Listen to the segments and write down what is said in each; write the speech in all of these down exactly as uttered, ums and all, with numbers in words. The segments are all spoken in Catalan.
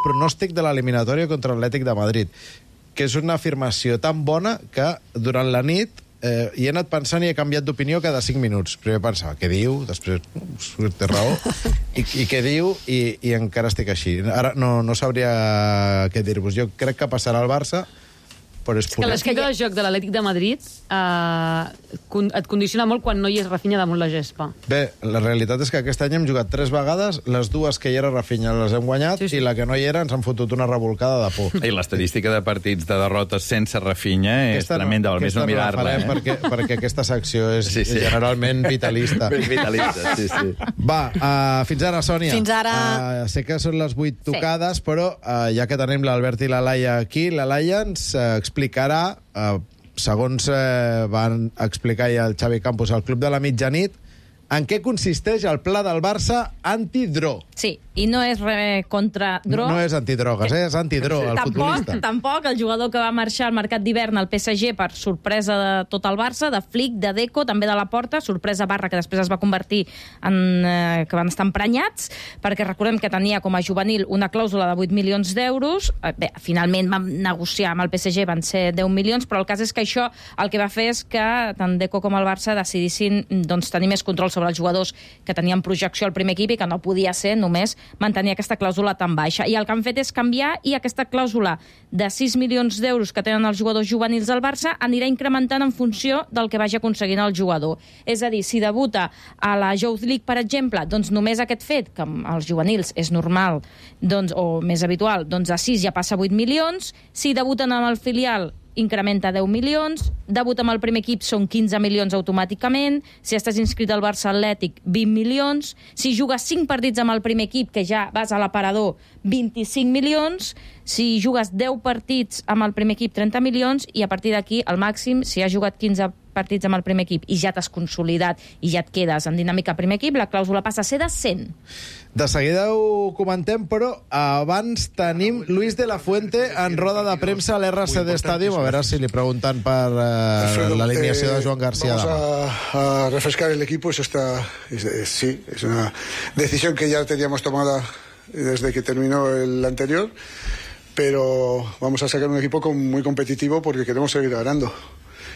pronòstic de l'eliminatòria contra l'Atlètic de Madrid, que és una afirmació tan bona que durant la nit eh, hi he anat pensant i he canviat d'opinió cada cinc minuts. Primer pensava, què diu? Després, uh, té raó. I, i què diu? I, i encara estic així. Ara no, no sabria què dir-vos. Jo crec que passarà al Barça, però és que l'esquip de joc de l'Atlètic de Madrid eh, et condiciona molt quan no hi és Rafinha damunt la gespa. Bé, la realitat és que aquest any hem jugat tres vegades, les dues que hi era Rafinha les hem guanyat, sí, sí. I la que no hi era ens han fotut una revolcada de por. I l'estadística de partits de derrotes sense Rafinha és aquesta tremenda, val més no mirar-la. Eh? Perquè, perquè aquesta secció és sí, sí. generalment vitalista. Ben vitalista, sí, sí. Va, uh, fins ara, Sònia. Fins ara. Uh, sé que són les vuit tocades, sí. però uh, ja que tenim l'Albert i la Laia aquí, la Laia ens uh, explicarà, uh, segons uh, van explicar ja el Xavi Campos al Club de la Mitjanit, en què consisteix el pla del Barça antidró. Sí, i no és res contra dro. No, no és antidrogues, eh? És antidró, el tampoc, futbolista. Tampoc, el jugador que va marxar al mercat d'hivern al P S G per sorpresa de tot el Barça, de Flick, de Deco, també de la Porta, sorpresa barra que després es va convertir en... Eh, que van estar emprenyats, perquè recordem que tenia com a juvenil una clàusula de vuit milions d'euros. Eh, bé, finalment vam negociar amb el P S G, van ser deu milions, però el cas és que això el que va fer és que tant Deco com el Barça decidissin doncs, tenir més control sobre els jugadors que tenien projecció al primer equip i que no podia ser només mantenir aquesta clàusula tan baixa. I el que han fet és canviar i aquesta clàusula de sis milions d'euros que tenen els jugadors juvenils del Barça anirà incrementant en funció del que vagi aconseguint el jugador. És a dir, si debuta a la Youth League, per exemple, doncs només aquest fet, que els juvenils és normal doncs, o més habitual, doncs a sis ja passa vuit milions, si debuten amb el filial incrementa deu milions, debut amb el primer equip són quinze milions automàticament, si estàs inscrit al Barça Atlètic, vint milions, si jugues cinc partits amb el primer equip, que ja vas a l'aparador, vint-i-cinc milions, si jugues deu partits amb el primer equip, trenta milions, i a partir d'aquí, al màxim, si has jugat quinze partits amb el primer equip i ja t'has consolidat i ja et quedes en dinàmica primer equip, la clàusula passa a ser de cent. De seguida ho comentem, però abans tenim Luis de la Fuente en roda de premsa a l'R C D Stadium, a veure si li pregunten per uh, l'alineació de Joan García. Vamos a, a refrescar el equipo, eso está, es, es, sí, es una decisión que ya teníamos tomada desde que terminó el anterior, pero vamos a sacar un equipo con, muy competitivo porque queremos seguir ganando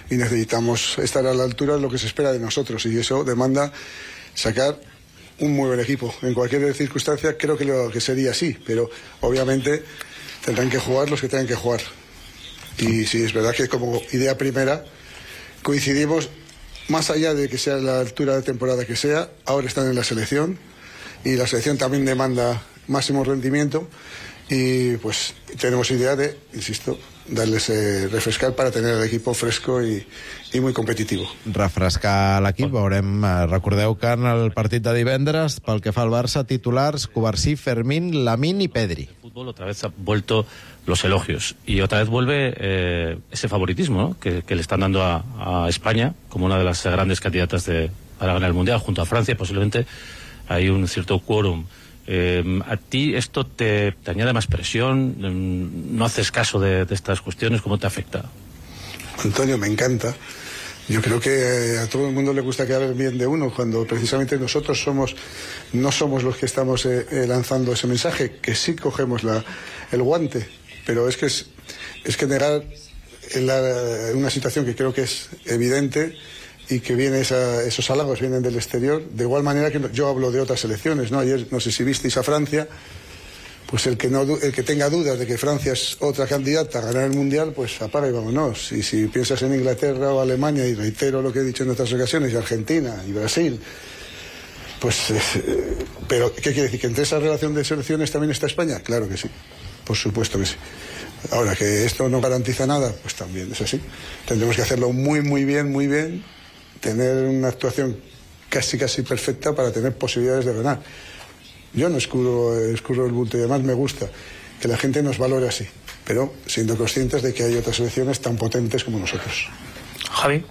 y necesitamos estar a la altura de lo que se espera de nosotros, y eso demanda sacar un muy buen equipo. En cualquier circunstancia creo que, lo, que sería así, pero obviamente tendrán que jugar los que tengan que jugar. Y sí, es verdad que como idea primera coincidimos, más allá de que sea la altura de temporada que sea, ahora están en la selección y la selección también demanda máximo rendimiento, y pues tenemos idea de, insisto, darles eh, refrescar para tener el equipo fresco i, i muy competitivo. Refrescar l'equip, veurem. Recordeu que en el partit de divendres, pel que fa al Barça, titulars Cubarsí, Fermín, Lamín y Pedri. El fútbol otra vez ha vuelto los elogios y otra vez vuelve eh, ese favoritismo, ¿no? que, que le están dando a, a España como una de las grandes candidatas de, para ganar el Mundial, junto a Francia. Posiblemente hay un cierto quórum. Eh, ¿A ti esto te, te añade más presión? ¿No haces caso de, de estas cuestiones? ¿Cómo te afecta? Antonio, me encanta. Yo creo que a todo el mundo le gusta que hablen bien de uno, cuando precisamente nosotros somos no somos los que estamos eh, eh, lanzando ese mensaje, que sí cogemos la, el guante, pero es que es, es que negar la, una situación que creo que es evidente, y que viene esa, esos halagos vienen del exterior, de igual manera que yo hablo de otras selecciones, ¿no? Ayer, no sé si visteis a Francia, pues el que, no, el que tenga dudas de que Francia es otra candidata a ganar el Mundial, pues apaga y vámonos. Y si piensas en Inglaterra o Alemania, y reitero lo que he dicho en otras ocasiones, y Argentina y Brasil, pues... Eh, pero, ¿qué quiere decir? ¿Que entre esa relación de selecciones también está España? Claro que sí, por supuesto que sí. Ahora, que esto no garantiza nada, pues también es así. Tendremos que hacerlo muy, muy bien, muy bien, tener una actuación casi casi perfecta para tener posibilidades de ganar. Yo no escurro, escurro el bulto, y además me gusta que la gente nos valore así, pero siendo conscientes de que hay otras selecciones tan potentes como nosotros. Javi.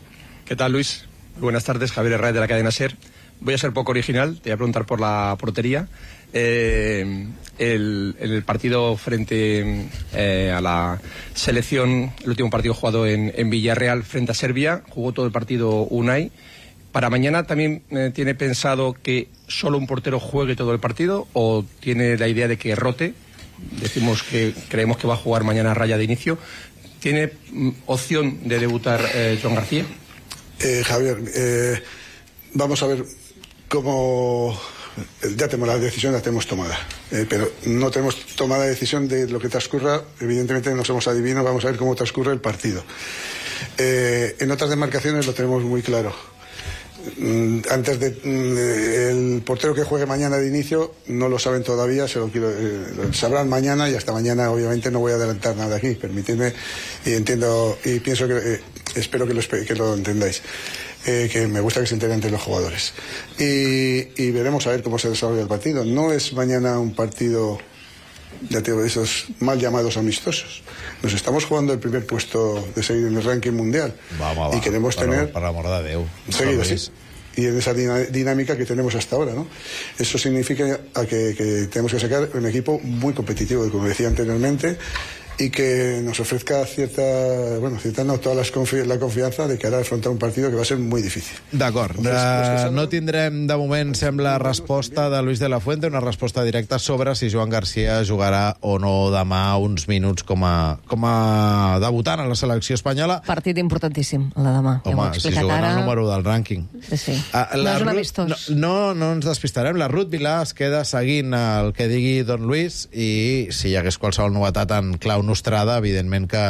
¿Qué tal, Luis? Buenas tardes, Javier Herrera de la cadena SER. Voy a ser poco original, te voy a preguntar por la portería. Eh, el, el partido frente eh, a la selección, el último partido jugado en, en Villarreal frente a Serbia, jugó todo el partido Unai. ¿Para mañana también eh, tiene pensado que solo un portero juegue todo el partido, o tiene la idea de que rote decimos que creemos que va a jugar mañana Raya de inicio. ¿Tiene mm, opción de debutar eh, Joan García? Eh, Javier, eh, vamos a ver cómo... Ya tenemos la decisión, la tenemos tomada, eh, pero no tenemos tomada decisión de lo que transcurra. Evidentemente no somos adivinos, vamos a ver cómo transcurre el partido. Eh, en otras demarcaciones lo tenemos muy claro. Antes de mm, el portero que juegue mañana de inicio no lo saben todavía, se lo quiero, eh, lo sabrán mañana, y hasta mañana obviamente no voy a adelantar nada aquí, permitidme, y entiendo y pienso que eh, espero que lo, que lo entendáis. Eh, que me gusta que se enteren entre los jugadores y, y veremos a ver cómo se desarrolla el partido. No es mañana un partido, ya te digo, de esos mal llamados amistosos. Nos estamos jugando el primer puesto de seguir en el ranking mundial. Va, va, va. Y queremos per, tener per l'amor de Déu, seguido, sí, y en esa dinámica que tenemos hasta ahora, ¿no? Eso significa a que, que tenemos que sacar un equipo muy competitivo, como decía anteriormente, y que nos ofrezca cierta, bueno, cierta no, toda les confi la confiança de que ara afrontar un partido que va a ser muy difícil. D'acord. Uh, no tindrem, de moment, sembla, resposta de Luis de la Fuente, una resposta directa sobre si Joan García jugarà o no demà uns minuts com a, com a debutant a la selecció espanyola. Partit importantíssim, el de demà. Home, ja si juguen ara... el número del rànquing. Sí, sí. Uh, no és un amistós. No, no, no ens despistarem. La Ruth Vilà es queda seguint el que digui Don Luis, i si hi hagués qualsevol novetat en clau nostrada, evidentment que,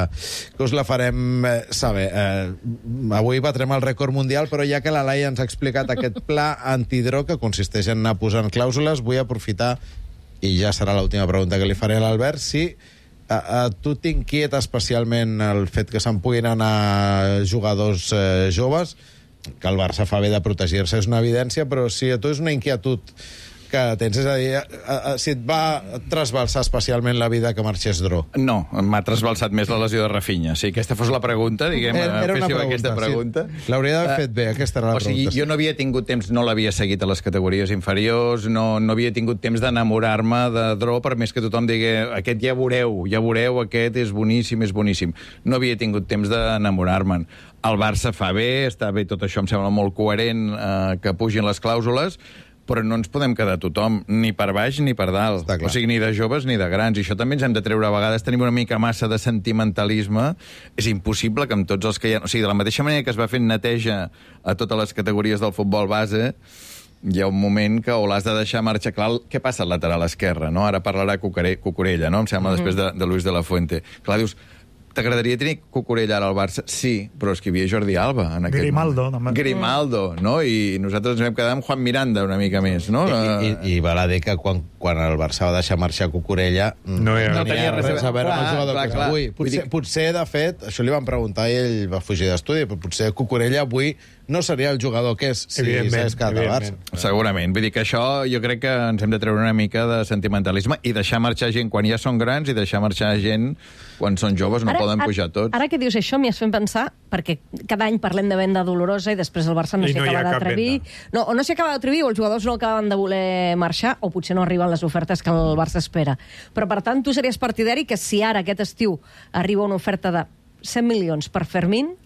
que us la farem eh, saber. Eh, avui batrem el rècord mundial, però ja que la Laia ens ha explicat aquest pla antidrog que consisteix en anar posant clàusules, vull aprofitar, i ja serà l'última pregunta que li faré a l'Albert, si a, a tu t'inquieta especialment el fet que se'n puguin anar jugadors eh, joves, que el Barça fa bé de protegir-se, és una evidència, però si a tu és una inquietud que tens, és a dir, a, a, si et va trasbalsar especialment la vida que marxés Dro. No, m'ha trasbalsat més la lesió de Rafinha. Si aquesta fos la pregunta, diguem, era, era féssiu pregunta, aquesta pregunta. Sí. L'hauria d'haver fet bé, aquesta era la o sigui, pregunta. Jo no havia tingut temps, no l'havia seguit a les categories inferiors, no, no havia tingut temps d'enamorar-me de Dro, per més que tothom digui, aquest ja veureu, ja veureu, aquest és boníssim, és boníssim. No havia tingut temps d'enamorar-me'n. El Barça fa bé, està bé, tot això em sembla molt coherent, eh, que pugin les clàusules, però no ens podem quedar tothom, ni per baix ni per dalt. O sigui, ni de joves ni de grans. I això també ens hem de treure. A vegades tenim una mica massa de sentimentalisme. És impossible que amb tots els que hi ha... O sigui, de la mateixa manera que es va fent neteja a totes les categories del futbol base, hi ha un moment que o l'has de deixar marxar clar. Què passa al lateral esquerre, no? Ara parlarà Cucurella, no? Em sembla, mm-hmm. després de, de Luis de la Fuente. Clar, dius, t'agradaria tenir Cucurella ara al Barça? Sí, però és que hi havia Jordi Alba en aquest Grimaldo. Moment. Grimaldo, no? I nosaltres ens vam quedar amb Juan Miranda una mica més, no? I, i, i val a dir que quan, quan el Barça va deixar marxar Cucurella no, ja. no tenia res a veure amb el jugador clar, que és clar. avui. Potser, potser, de fet, això li van preguntar i ell va fugir d'estudi, però potser Cucurella avui no seria el jugador que és si s'hagués quedat al Barça. Segurament. Vull dir que això jo crec que ens hem de treure una mica de sentimentalisme i deixar marxar gent quan ja són grans i deixar marxar gent quan són joves, no ara, poden pujar tots. Ara que dius això m'hi has fet pensar, perquè cada any parlem de venda dolorosa i després el Barça no s'hi no acaba d'atrevir. No, o no s'hi acaba d'atrevir, o els jugadors no acaben de voler marxar, o potser no arriben les ofertes que el Barça espera. Però, per tant, tu series partidari que si ara, aquest estiu, arriba una oferta de cent milions per Fermín...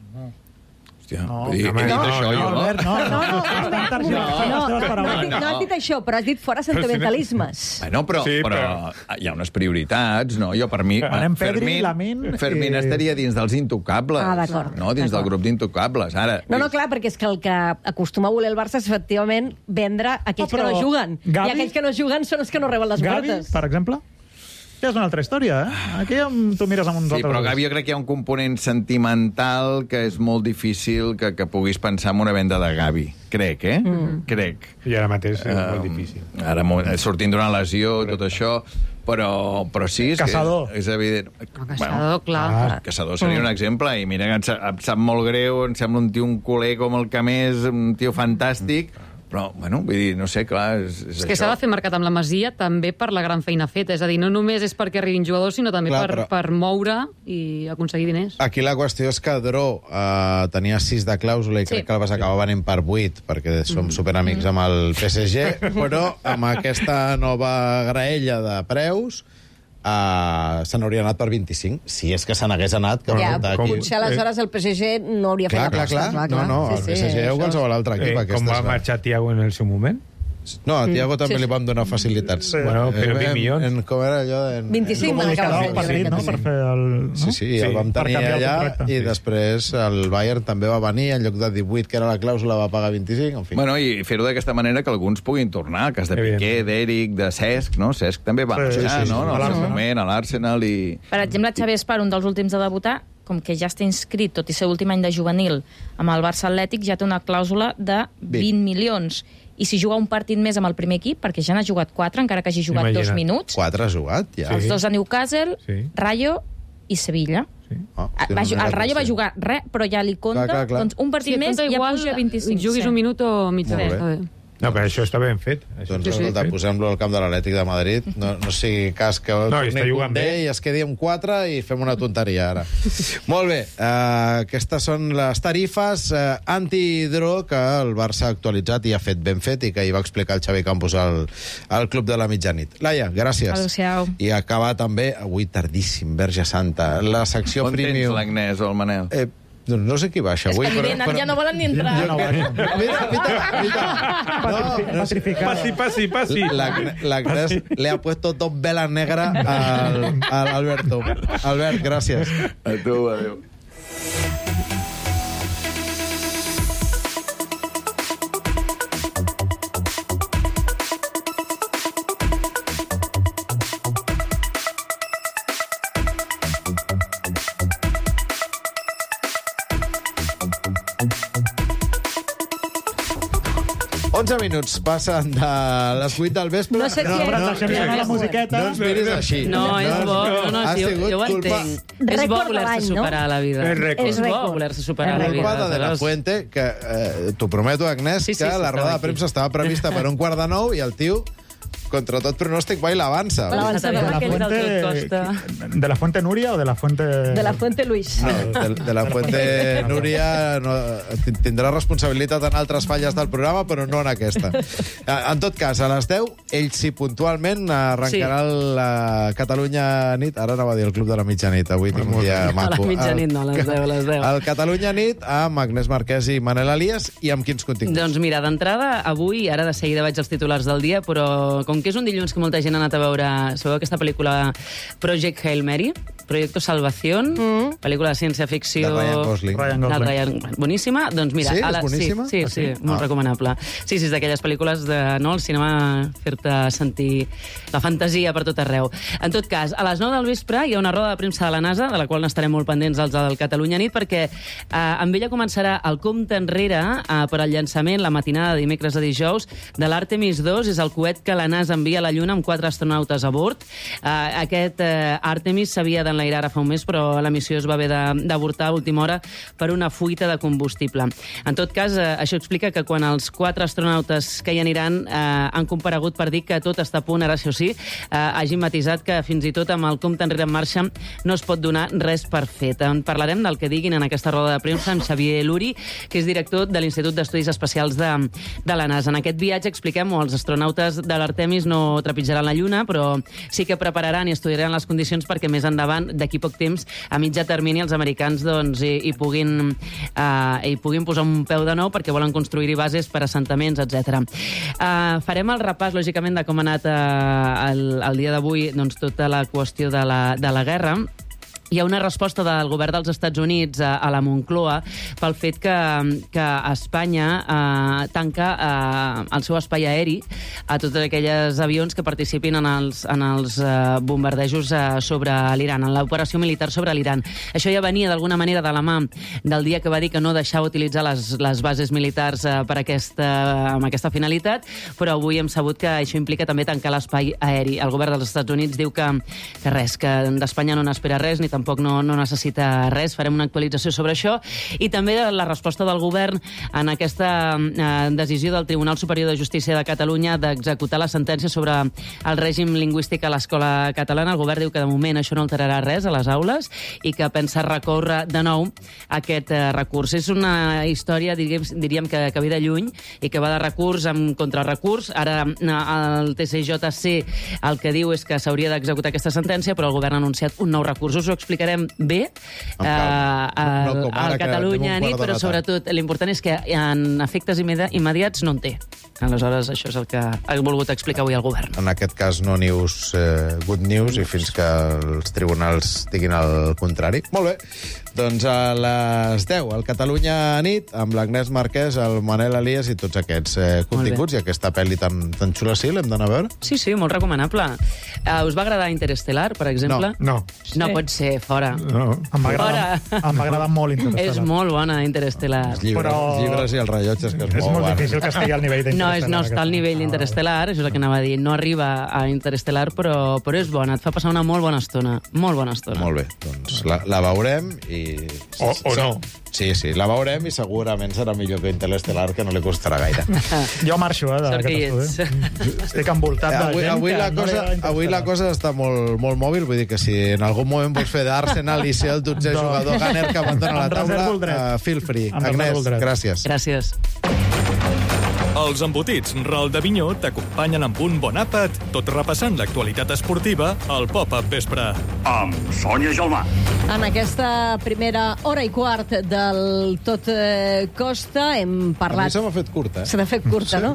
Hòstia, no, he dit no, això, no, jo, no? Albert, no, no, no, no, no, no, no has dit això, però has dit fora sentimentalismes. Bueno, però, Sí, però però- hi ha unes prioritats, no? Jo, per mi, Anem Pedri, Fermín, Lamine, Fermín eh, estaria dins dels intocables. Ah, d'acord, No, dins del d'acord. grup d'intocables. Ara, No, no, clar, perquè és que el que acostuma a voler el Barça és efectivament vendre aquells Ah, però que no juguen. Gavi- I aquells que no juguen són els que no reben les Gavi, ofertes. per exemple, que és una altra història, eh? Aquí tu mires amb uns Sí, altres però ulls. Gavi jo crec que hi ha un component sentimental que és molt difícil que, que puguis pensar en una venda de Gavi. Crec, eh? Mm. Crec. I ara mateix és Uh, molt difícil. Ara, molt- sortint d'una lesió, tot això, però, però sí, és, Caçador. que és, és evident. El Caçador, clar. Ah, clar. Caçador seria un exemple, i mira que em sap, em sap molt greu, em sembla un tio, un culer com el que més, un tio fantàstic, però, bueno, vull dir, no sé, clar, és, és, És que s'ha de fer mercat amb la Masia també per la gran feina feta. És a dir, no només és perquè arribin jugadors, sinó també Clar, per, però- per moure i aconseguir diners. Aquí la qüestió és que Dro uh, tenia sis de clàusula i Sí. crec que el vas acabar venent per vuit, perquè som superamics amb el P S G, però amb aquesta nova graella de preus uh, se n'hauria anat per vint-i-cinc, si és que se n'hagués anat. Que Ja, resulta aquí. potser aleshores el P S G no hauria fet Clar, clar, l'aposta. clar. No, no, el P S G o qualsevol altre equip. Eh, com aquestes va va- marxar Thiago en el seu moment? No, a Thiago també li vam donar facilitats. Bueno, però vint milions. En, com era allò? En, vint-i-cinc van acabar fent, jo crec que no? sí. Per fer el... No? Sí, sí, el vam per tenir canviar el allà contracte. i Sí. després el Bayern també va venir, en lloc de divuit, que era la clàusula, va pagar vint-i-cinc, en fi. Bueno, i fer-ho d'aquesta manera que alguns puguin tornar, el cas de Evident. Piqué, d'Eric, de Cesc, no? Cesc també va Sí, marxar, sí, sí, no? sí. En A el seu l'Arsenal. moment, a l'Arsenal i... Per exemple, Xavi Espar, un dels últims a debutar, com que ja està inscrit, tot i ser últim any de juvenil, amb el Barça Atlètic, ja té una clàusula de vint milions. I si juga un partit més amb el primer equip, perquè ja n'ha jugat quatre, encara que hagi jugat Imagina't. dos minuts, Quatre ha jugat, ja. els Sí. dos a Newcastle, Sí. Rayo i Sevilla. Ah, Ah, hòstia, va, no ju- era el Rayo va conscient. jugar res, però ja li compta, Clar, clar, clar. doncs un partit Sí, més compta ja igual, puja a vint-i-cinc. juguis sí. un minut o mig Molt hora. bé. Està bé. No, però això està ben fet. Això Doncs, està ben escolta, fet. posem-lo al camp de l'Atlètic de Madrid. No, no sigui cas que No, i torni està jugant Koundé bé. i es quedi amb quatre i fem una tonteria, ara. Molt bé, uh, aquestes són les tarifes uh, anti-hidro que el Barça ha actualitzat i ha fet ben fet i que hi va explicar el Xavi Campos al, al Club de la Mitjanit. Laia, gràcies. Adéu-siau. I acabar també, avui tardíssim, Verge Santa, la secció On tens premium... l'Agnès o el Manel? Eh, doncs no sé qui baixa És avui, que ni venen, ja no volen ni entrar. Jo, mira, mira, mira. No, no sé. Passi, passi, passi. La- L'Agnès le ha puesto dos velas negras al, al Alberto. Albert, gràcies. A tu, adéu. onze minuts passen de les vuit del vespre. No sé qui No, és. però deixem anar la musiqueta. No ens miris així. No, és bo, no, no, Ha sí, jo, sigut jo ho culpa- entenc. És bo Rècord de voler-se l'any, no? superar a la vida. És rècord. És bo rècord. voler-se superar a És la rècord. vida. Culpa de De La aleshores- Fuente, que eh, t'ho prometo, Agnès, Sí, sí, que sí, la roda estava de aquí. premsa estava prevista per un quart de nou i el tio, contra tot pronòstic, va i l'avança. L'avança. Està bé, De la aquell del Fuente... tot costa. ¿De la Fuente Núria o de la Fuente...? De la Fuente Luis. No, de, de la Fuente Núria no, tindrà responsabilitat en altres falles del programa, però no en aquesta. En tot cas, a les deu, ell sí puntualment arrencarà sí. la Catalunya Nit. Ara anava a dir el Club de la Mitjanit. Avui tinc un dia maco. A la mitjanit no, a les deu, a les deu. El Catalunya Nit amb Agnès Marquès i Manel Elias i amb quins continguts? Doncs mira, d'entrada, avui, ara de seguida vaig als titulars del dia, però com que és un dilluns que molta gent ha anat a veure, sabeu aquesta pel·lícula Project Hail Mary? Proyecto Salvación, mm. pel·lícula de ciència-ficció... De Ryan Gosling. Ryan De Gosling. Ryan, boníssima. Doncs mira, Sí? a la, És boníssima? Sí, sí, Ah, sí, sí? molt Ah. recomanable. Sí, sí, és d'aquelles pel·lícules de, no, el cinema fer-te sentir la fantasia per tot arreu. En tot cas, a les nou del vespre hi ha una roda de premsa de la NASA, de la qual n'estarem molt pendents els del Catalunya Nit, perquè eh, amb ella començarà el compte enrere eh, per al llançament la matinada de dimecres a dijous de l'Artemis dos, és el coet que la NASA envia a la Lluna amb quatre astronautes a bord. Eh, aquest eh, Artemis s'havia d'enlairar ara fa un mes, però la missió es va haver d'avortar a última hora per una fuita de combustible. En tot cas, eh, això explica que quan els quatre astronautes que hi aniran eh, han comparegut per dir que tot està a punt, ara això sí, eh, hagin matisat que fins i tot amb el compte enrere en marxa no es pot donar res per fet. En parlarem del que diguin en aquesta roda de premsa amb Xavier Luri, que és director de l'Institut d'Estudis Espacials de, de la NASA. En aquest viatge expliquem que els astronautes de l'Artemis no trepitjaran la Lluna, però sí que prepararan i estudiaran les condicions perquè més endavant, d'aquí poc temps, a mitjà termini, els americans doncs, hi, hi, puguin, uh, hi puguin posar un peu de nou perquè volen construir-hi bases per assentaments, etcètera. Uh, farem el repàs, lògicament, de com ha anat uh, el, el dia d'avui doncs, tota la qüestió de la, de la guerra. Hi ha una resposta del govern dels Estats Units a, a la Moncloa pel fet que, que Espanya eh, tanca eh, el seu espai aeri a tots aquells avions que participin en els, en els eh, bombardejos eh, sobre l'Iran, en l'operació militar sobre l'Iran. Això ja venia d'alguna manera de la mà del dia que va dir que no deixava utilitzar les, les bases militars eh, per aquesta, amb aquesta finalitat, però avui hem sabut que això implica també tancar l'espai aeri. El govern dels Estats Units diu que, que res, que d'Espanya no n'espera res, ni tampoc no, no necessita res. Farem una actualització sobre això. I també la resposta del govern en aquesta eh, decisió del Tribunal Superior de Justícia de Catalunya d'executar la sentència sobre el règim lingüístic a l'escola catalana. El govern diu que de moment això no alterarà res a les aules i que pensa recórrer de nou aquest eh, recurs. És una història, diríem, diríem que, que ve de lluny i que va de recurs amb contrarrecurs. Ara el T C J C el que diu és que s'hauria d'executar aquesta sentència, però el govern ha anunciat un nou recurs. Us ho explicarem bé eh, al, no, no al Catalunya nit, però sobretot l'important és que en efectes immediats no en té. Aleshores, això és el que ha volgut explicar avui el govern. En aquest cas, no news, eh, good news, i fins que els tribunals diguin el contrari. Molt bé. Doncs a les deu, al Catalunya nit, amb l'Agnès Marquès, el Manel Elias i tots aquests eh, continguts i aquesta pel·li tan, tan xula, sí, l'hem d'anar a veure? Sí, sí, molt recomanable. Uh, us va agradar Interestelar, per exemple? No. No, no pot ser, fora. No. Em va agradar, em va agradar molt Interestelar. És molt bona, Interestelar. Els llibres, Però... els llibres i els rellotges, que és, és molt, molt difícil que estigui al nivell d'Interestelar. No, és, no està al nivell d'Interestelar, això és el que anava a dir. No arriba a Interestelar, però, però és bona. Et fa passar una molt bona estona. Molt bona estona. Molt bé, doncs la, la veurem i... O, o no. Sí, sí, la veurem i segurament serà millor que Interestelar, que no li costarà gaire. Jo marxo, eh, d'aquest estudi. Estic envoltat de avui, gent avui que la no cosa, li agrada avui la cosa està molt, molt mòbil, vull dir que si en algun moment vols fer d'Arsenal i ser el dotzè No. jugador Gunner que abandona la Em taula, reservo el dret. uh, feel free. Em reservo Agnès, el dret. gràcies. Gràcies. Els embotits Ral d'Avinyó t'acompanyen amb un bon àpat, tot repassant l'actualitat esportiva al Pop-Up Vespre. Amb Sònia Gelmà. En aquesta primera hora i quart del Tot eh, Costa hem A mi parlat... se m'ha fet curta, eh? Se n'ha fet curta, no?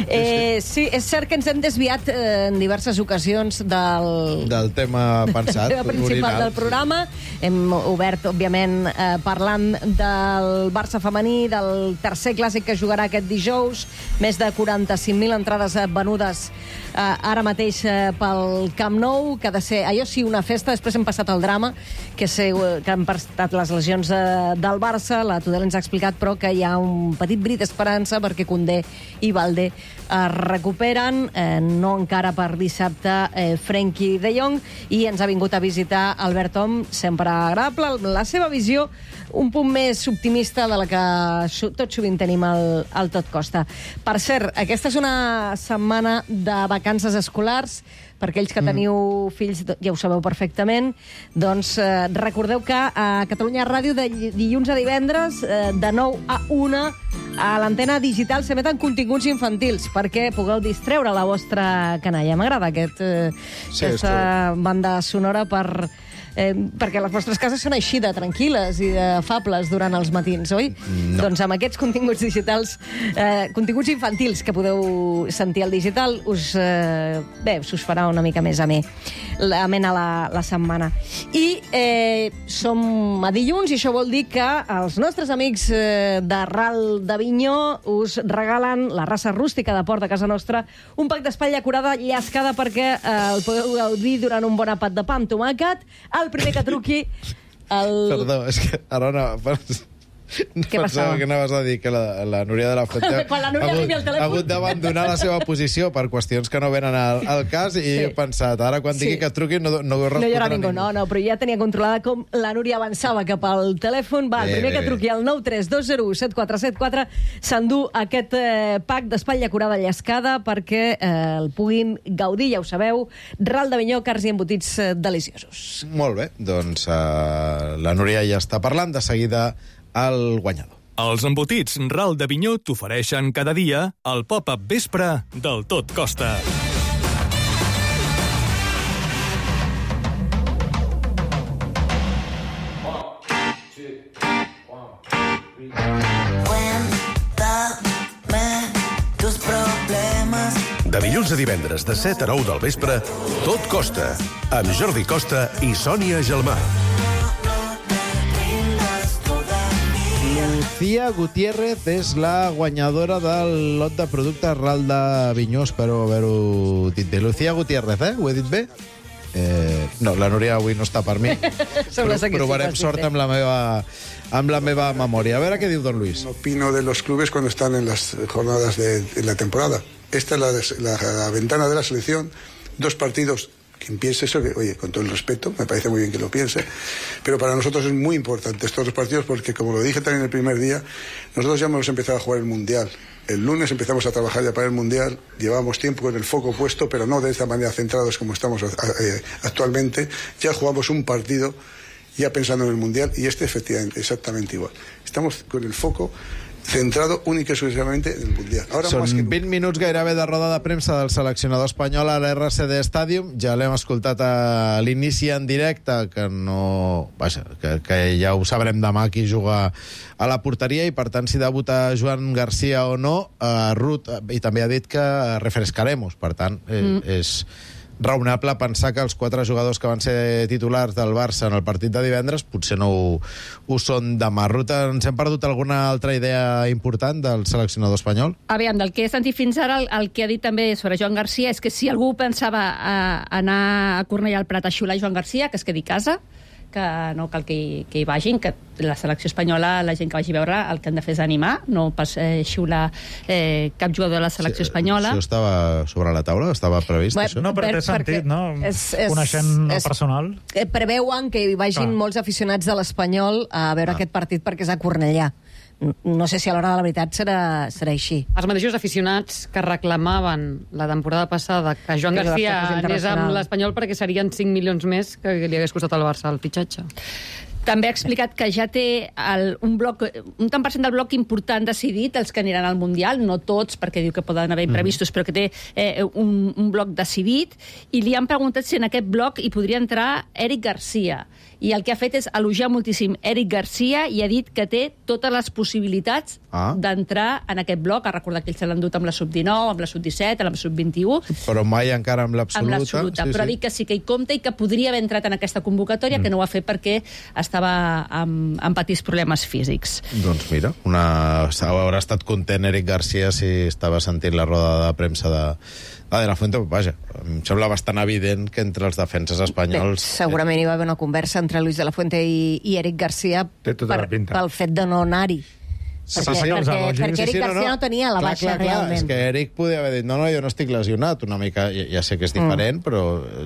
Eh, sí, és cert que ens hem desviat eh, en diverses ocasions del... Del tema pensat, del tema principal original. del programa. Hem obert, òbviament, eh, parlant del Barça femení, del tercer clàssic que jugarà aquest dijous, més de quaranta-cinc mil entrades venudes eh, ara mateix eh, pel Camp Nou, que ha de ser, allò sí, una festa. Després hem passat al drama, que, sé, que han passat les lesions de, del Barça, la Tudela ens ha explicat, però que hi ha un petit bri d'esperança perquè Koundé i Baldé es recuperen, eh, no encara per dissabte eh, Frenkie de Jong, i ens ha vingut a visitar Albert Om, sempre agradable, la seva visió un punt més optimista de la que tot sovint tenim al, al Tot Costa. Per cert, aquesta és una setmana de vacances escolars. Per aquells que teniu mm. fills, ja ho sabeu perfectament, doncs eh, recordeu que a Catalunya Ràdio de dilluns a divendres, eh, de nou a una, a l'antena digital s'emeten continguts infantils perquè pugueu distreure la vostra canalla. M'agrada aquest, eh, Sí, aquesta banda sonora per... Eh, perquè les vostres cases són així de tranquil·les i de fables durant els matins, oi? No. Doncs amb aquests continguts digitals, eh, continguts infantils que podeu sentir al digital, us, eh, bé, us farà una mica més amè amena la, la setmana. I eh, som a dilluns i això vol dir que els nostres amics eh, de Ral d'Avinyó us regalen la raça rústica de Port de casa nostra, un pack d'espatlla curada llascada perquè eh, el podeu gaudir durant un bon àpat de pa amb tomàquet. El primer que truqui... El... Perdó, és que ara no... Què passava? Pensava que anaves a dir que la, la Núria de la Fuente Quan la Núria ha, arribi al hagut, telèfon. ha hagut d'abandonar la seva posició per qüestions que no venen al, al cas i Sí. he pensat, ara quan digui Sí. que truqui no, no ho No hi haurà respondrà ningú, no, no, però ja tenia controlada com la Núria avançava cap al telèfon. Va, el Bé, primer bé, que bé. truqui al nou tres dos zero u set quatre set quatre s'endú aquest eh, pack d'espatlla curada llascada perquè eh, el puguin gaudir, ja ho sabeu. Ral d'Avinyó, cars i embotits eh, deliciosos. Molt bé, doncs uh, la Núria ja està parlant, de seguida el guanyador. Els embotits Ral d'Avinyó t'ofereixen cada dia el Pop-Up Vespre del Tot Costa. De dilluns a divendres, de set a nou del vespre, Tot Costa, amb Jordi Costa i Sònia Gelmà. Lucía Gutiérrez és la guanyadora del lot de productes Ral d'Avinyó, espero haver-ho dit bé. Lucía Gutiérrez, eh? Ho he dit bé? Eh, no, la Núria avui no està per mi. Sembla ser que sí, Provarem ho has dit sort bé. amb la meva amb la meva memòria. A veure què diu don Luis. Opino de los clubes cuando están en las jornadas de, de la temporada. Esta es la, la, la ventana de la selección, dos partidos. Quien piense eso, que, oye, con todo el respeto, me parece muy bien que lo piense, pero para nosotros es muy importante estos dos partidos porque, como lo dije también el primer día, nosotros ya hemos empezado a jugar el Mundial. El lunes empezamos a trabajar ya para el Mundial, llevamos tiempo con el foco puesto, pero no de esta manera centrados como estamos eh, actualmente. Ya jugamos un partido ya pensando en el Mundial y este efectivamente, exactamente igual. Estamos con el foco centrado única y exclusivamente en el Mundial. Ahora Són más que vint minuts gairebé de roda de premsa del seleccionador espanyol a l'R C D Stadium. Ja l'hem escoltat a l'inici en directe, que no... Vaja, que, que ja ho sabrem demà qui juga a la porteria, i per tant si debuta Joan Garcia o no, eh, Ruth, i també ha dit que refrescaremos, per tant eh, mm. és raonable pensar que els quatre jugadors que van ser titulars del Barça en el partit de divendres potser no ho, ho són demà. Ruth, ens hem perdut alguna altra idea important del seleccionador espanyol? Aviam, del que he sentit fins ara, el, el que ha dit també sobre Joan Garcia és que si algú pensava a, anar a Cornellà al Prat a xiular Joan Garcia, que es quedi a casa, que no cal que hi, que hi vagin, que la selecció espanyola, la gent que vagi a veure, el que han de fer és animar, no pas eh, xiular eh, cap jugador de la selecció sí, espanyola. Això estava sobre la taula? Estava previst, Bé, això? No, però té sentit, no? És, és, Coneixent el és, personal. Eh, preveuen que hi vagin Clar. molts aficionats de l'Espanyol a veure Ah. aquest partit perquè és a Cornellà. No sé si a l'hora de la veritat serà, serà així. Els mateixos aficionats que reclamaven la temporada passada que Joan Que Garcia la fos anés amb internacional. l'Espanyol perquè serien cinc milions més que li hagués costat al Barça el fitxatge. També ha explicat que ja té el, un bloc, un tant per cent del bloc important decidit, els que aniran al Mundial, no tots, perquè diu que poden haver imprevistos, mm. però que té eh, un, un bloc decidit, i li han preguntat si en aquest bloc hi podria entrar Eric Garcia. I el que ha fet és elogiar moltíssim Eric Garcia i ha dit que té totes les possibilitats Ah. d'entrar en aquest bloc. Ha recordat que ell se l'ha endut amb la sub dinou, amb la sub disset, amb la sub vint-i-u, Però mai encara amb l'absoluta. amb l'absoluta, sí, però ha sí. dit que sí que hi compta i que podria haver entrat en aquesta convocatòria, mm. que no ho ha fet perquè estava amb, amb petits problemes físics. Doncs mira, una... haurà estat content Eric Garcia si estava sentint la roda de premsa de, de De La Fuente. Vaja, em sembla bastant evident que entre els defenses espanyols... Bé, segurament hi va haver una conversa entre Luis de la Fuente i, i Eric Garcia Té tota per, la pinta. pel fet de no anar-hi. Sí, Perquè, sí, sí, perquè, elogis. perquè Eric Garcia no, tenia la clar, baixa clar, clar. realment. És que Eric podia haver dit, no, no, jo no estic lesionat, una mica, ja, ja sé que és diferent, mm. però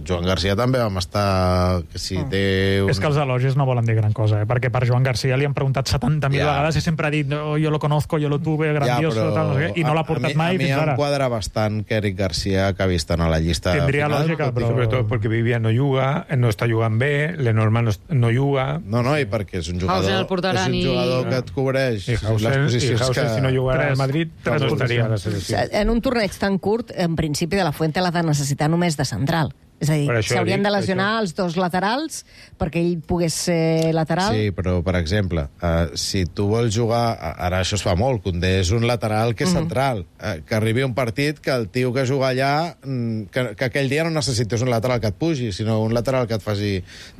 Joan Garcia també vam estar... Que si mm. té un... És que els elogis no volen dir gran cosa, eh? Perquè per Joan Garcia li han preguntat setanta mil Ja. vegades i sempre ha dit oh, jo lo conozco, jo lo tuve, grandioso, Ja, però tal, no sé què, i no l'ha portat a, a mi, mai a mi fins em ara. quadra bastant que Eric Garcia, que ha vist en la llista Tindria final, lògica, però... Sobre tot perquè Vivian no juga, no està jugant bé, Lenormand no, no juga... No, no, i perquè és un jugador, Hausen el portaran és un i- jugador que et cobreix I Hausen, les i posicions Hausen que... si no jugarà Tres- al Madrid, tres no estaria a la posicions. selecció. En un torneig tan curt, en principi, de la Fuente l'ha de necessitar només de central. És a dir, Per això s'haurien dic, de lesionar això. els dos laterals perquè ell pogués ser lateral. Sí, però, per exemple, uh, si tu vols jugar... Ara això es fa molt, Koundé és un lateral que és central. Uh, que arribi un partit que el tio que juga allà... mm, Que, que aquell dia no necessites un lateral que et pugi, sinó un lateral que et faci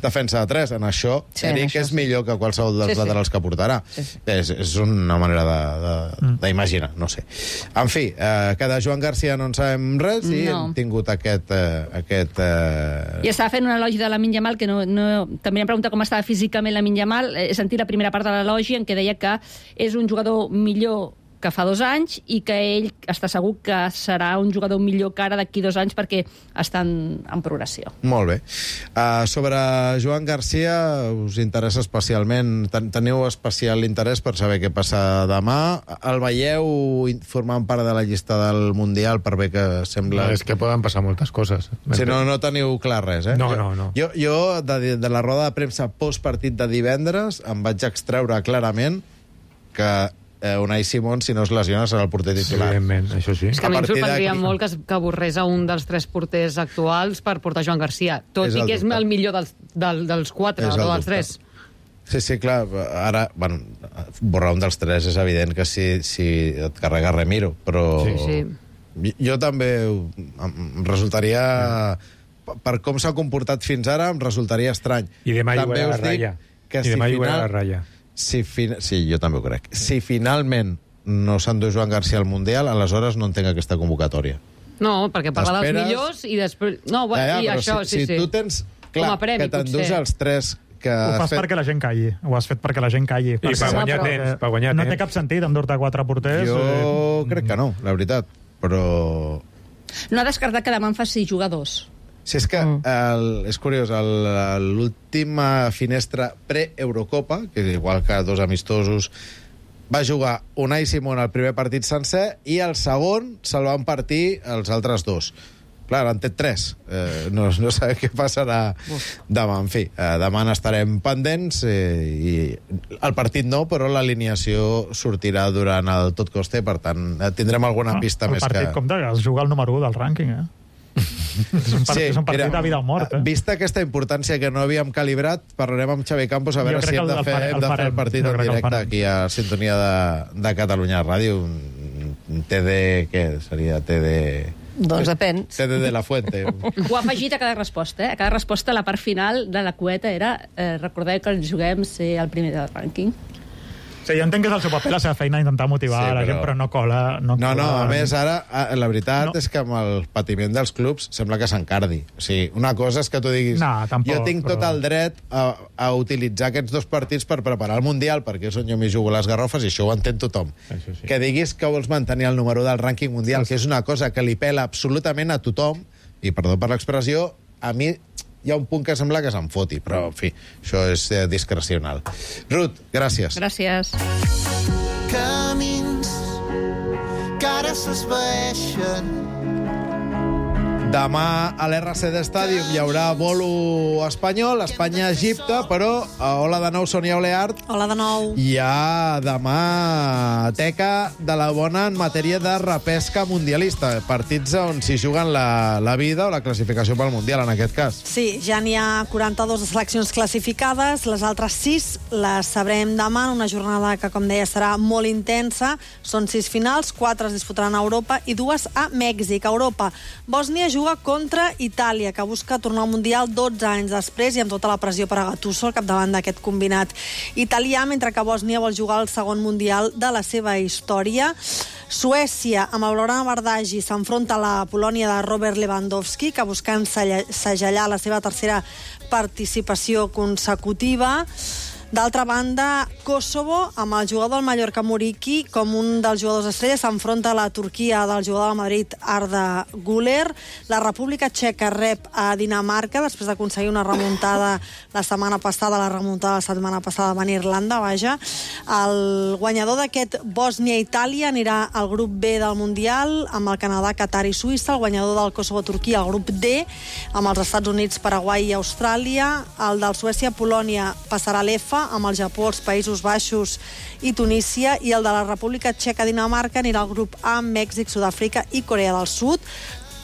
defensa de tres. En això, Sí, sí, en Eric això és sí. millor que qualsevol dels Sí, sí. laterals que portarà. Sí, sí. És, és una manera d'imaginar, no sé. En fi, uh, que de Joan Garcia no en sabem res i No. hem tingut aquest... Uh, aquest uh... I estava fent un elogi de Lamine Yamal, que no, no... també em pregunta com estava físicament Lamine Yamal. He sentit la primera part de l'elogi en què deia que és un jugador millor que fa dos anys i que ell està segur que serà un jugador millor que ara d'aquí dos anys perquè està en, en progressió. Molt bé. Uh, sobre Joan Garcia, us interessa especialment, ten teniu especial interès per saber què passa demà. El veieu formant part de la llista del Mundial per bé que sembla... No, és que poden passar moltes coses. Si no, no teniu clar res, eh? No, no, no. Jo, jo de, de la roda de premsa postpartit de divendres, em vaig extreure clarament que eh, Unai Simón, si no es lesiona, serà el porter Sí, titular. evidentment, això sí. És que a mi em A partir sorprendria d'aquí- molt que, es, que borrés a un dels tres porters actuals per portar Joan Garcia, tot És i el que és dubte. el millor dels, del, dels quatre, És el o dels dubte. tres. Sí, sí, clar, ara, bueno, borrar un dels tres és evident que si, si et carrega Remiro, però... Sí, sí. Jo, jo també em resultaria... Per com s'ha comportat fins ara, em resultaria estrany. I demà També jugarà a us dic ratlla. que I si demà jugarà final- a ratlla. Si fin... Sí, jo també ho crec. Si finalment no s'endú Joan Garcia al Mundial, aleshores no entenc aquesta convocatòria. No, perquè parla dels T'esperes- millors i després... No, bueno, Ja, ja, i però això, si, sí, si sí. tu tens Com clar a premi, que t'endús potser. els tres que Ho has fas fet... perquè la gent calli. Ho has fet perquè la gent calli. per Perquè- guanyar perquè temps, per guanyar no temps. té cap sentit endur-te quatre porters. Jo eh, crec que no, la veritat. Però... No ha descartat que demà en faci jugadors. Si és que, el, és curiós, el- l'última finestra pre-Eurocopa, que és igual que dos amistosos, va jugar Unai Simón al primer partit sencer i el segon se'l van partir els altres dos. clar, han tret tres. Eh, no, no sabem què passarà demà. En fi, eh, demà n'estarem pendents eh, i el partit no, però l'alineació sortirà durant el tot coste, per tant, eh, tindrem alguna No, pista el més partit, que... compte, que es juga el número u del rànquing, eh? és un partit, Sí, és un partit mira, de vida o mort, eh? Vista aquesta importància que no havíem calibrat, parlarem amb Xavi Campos a Jo veure crec si que hem el- de el fer, farem, hem el de fer el farem. partit Jo en crec que el directe farem. aquí a Sintonia de, de Catalunya Ràdio, un, un T D, què seria? T D... Doncs depèn. T D de la Fuente. Ho ha afegit a cada resposta, eh? A cada resposta la part final de la cueta era eh, recordeu que ens juguem ser el primer del rànquing. Sí, jo entenc que és el seu paper, la seva feina, intentar motivar Sí, sí, la però- gent, però no cola. No, No, no, cola. a més, ara, a- la veritat no. és que amb el patiment dels clubs sembla que s'encardi. O sigui, una cosa és que tu diguis... No, tampoc, jo tinc però- tot el dret a, a utilitzar aquests dos partits per preparar el Mundial, perquè és on jo m'hi jugo les garrofes, i això ho entén tothom. Això sí. Que diguis que vols mantenir el número del rànquing mundial, que és una cosa que li pela absolutament a tothom, i perdó per l'expressió, a mi hi ha un punt que sembla que se'n foti, però, en fi, això és eh, discrecional. Ruth, gràcies. Gràcies. Camins que ara s'esvaeixen. Demà a l'R C D Stadium hi haurà bolo espanyol, Espanya-Egipte, però, eh, hola de nou, Sònia Oleart. Hola de nou. Hi ha demà teca de la bona en matèria de repesca mundialista, partits on s'hi juguen la, la vida o la classificació pel Mundial, en aquest cas. Sí, ja n'hi ha quaranta-dues seleccions classificades, les altres sis les sabrem demà en una jornada que, com deia, serà molt intensa. Són sis finals, quatre es disputaran a Europa i dues a Mèxic. A Europa, Bòsnia juga contra Itàlia, que busca tornar al Mundial dotze anys després i amb tota la pressió per a Gattuso al capdavant d'aquest combinat italià, mentre que Bòsnia vol jugar el segon Mundial de la seva història. Suècia, amb el Lorana Bardagi, s'enfronta a la Polònia de Robert Lewandowski, que buscant segellar la seva tercera participació consecutiva. D'altra banda, Kosovo, amb el jugador del Mallorca Muriqui com un dels jugadors estrella, s'enfronta a la Turquia del jugador del Madrid Arda Güler. La República Txeca rep a Dinamarca després d'aconseguir una remuntada la setmana passada, la remuntada la setmana passada va a Irlanda, vaja. El guanyador d'aquest Bòsnia-Itàlia anirà al grup B del Mundial amb el Canadà, Qatar i Suïssa. El guanyador del Kosovo-Turquia al grup D amb els Estats Units, Paraguai i Austràlia. El del Suècia-Polònia passarà a l'E F A amb el Japó, els Països Baixos i Tunísia, i el de la República Txeca-Dinamarca anirà al grup A amb Mèxic, Sud-àfrica i Corea del Sud.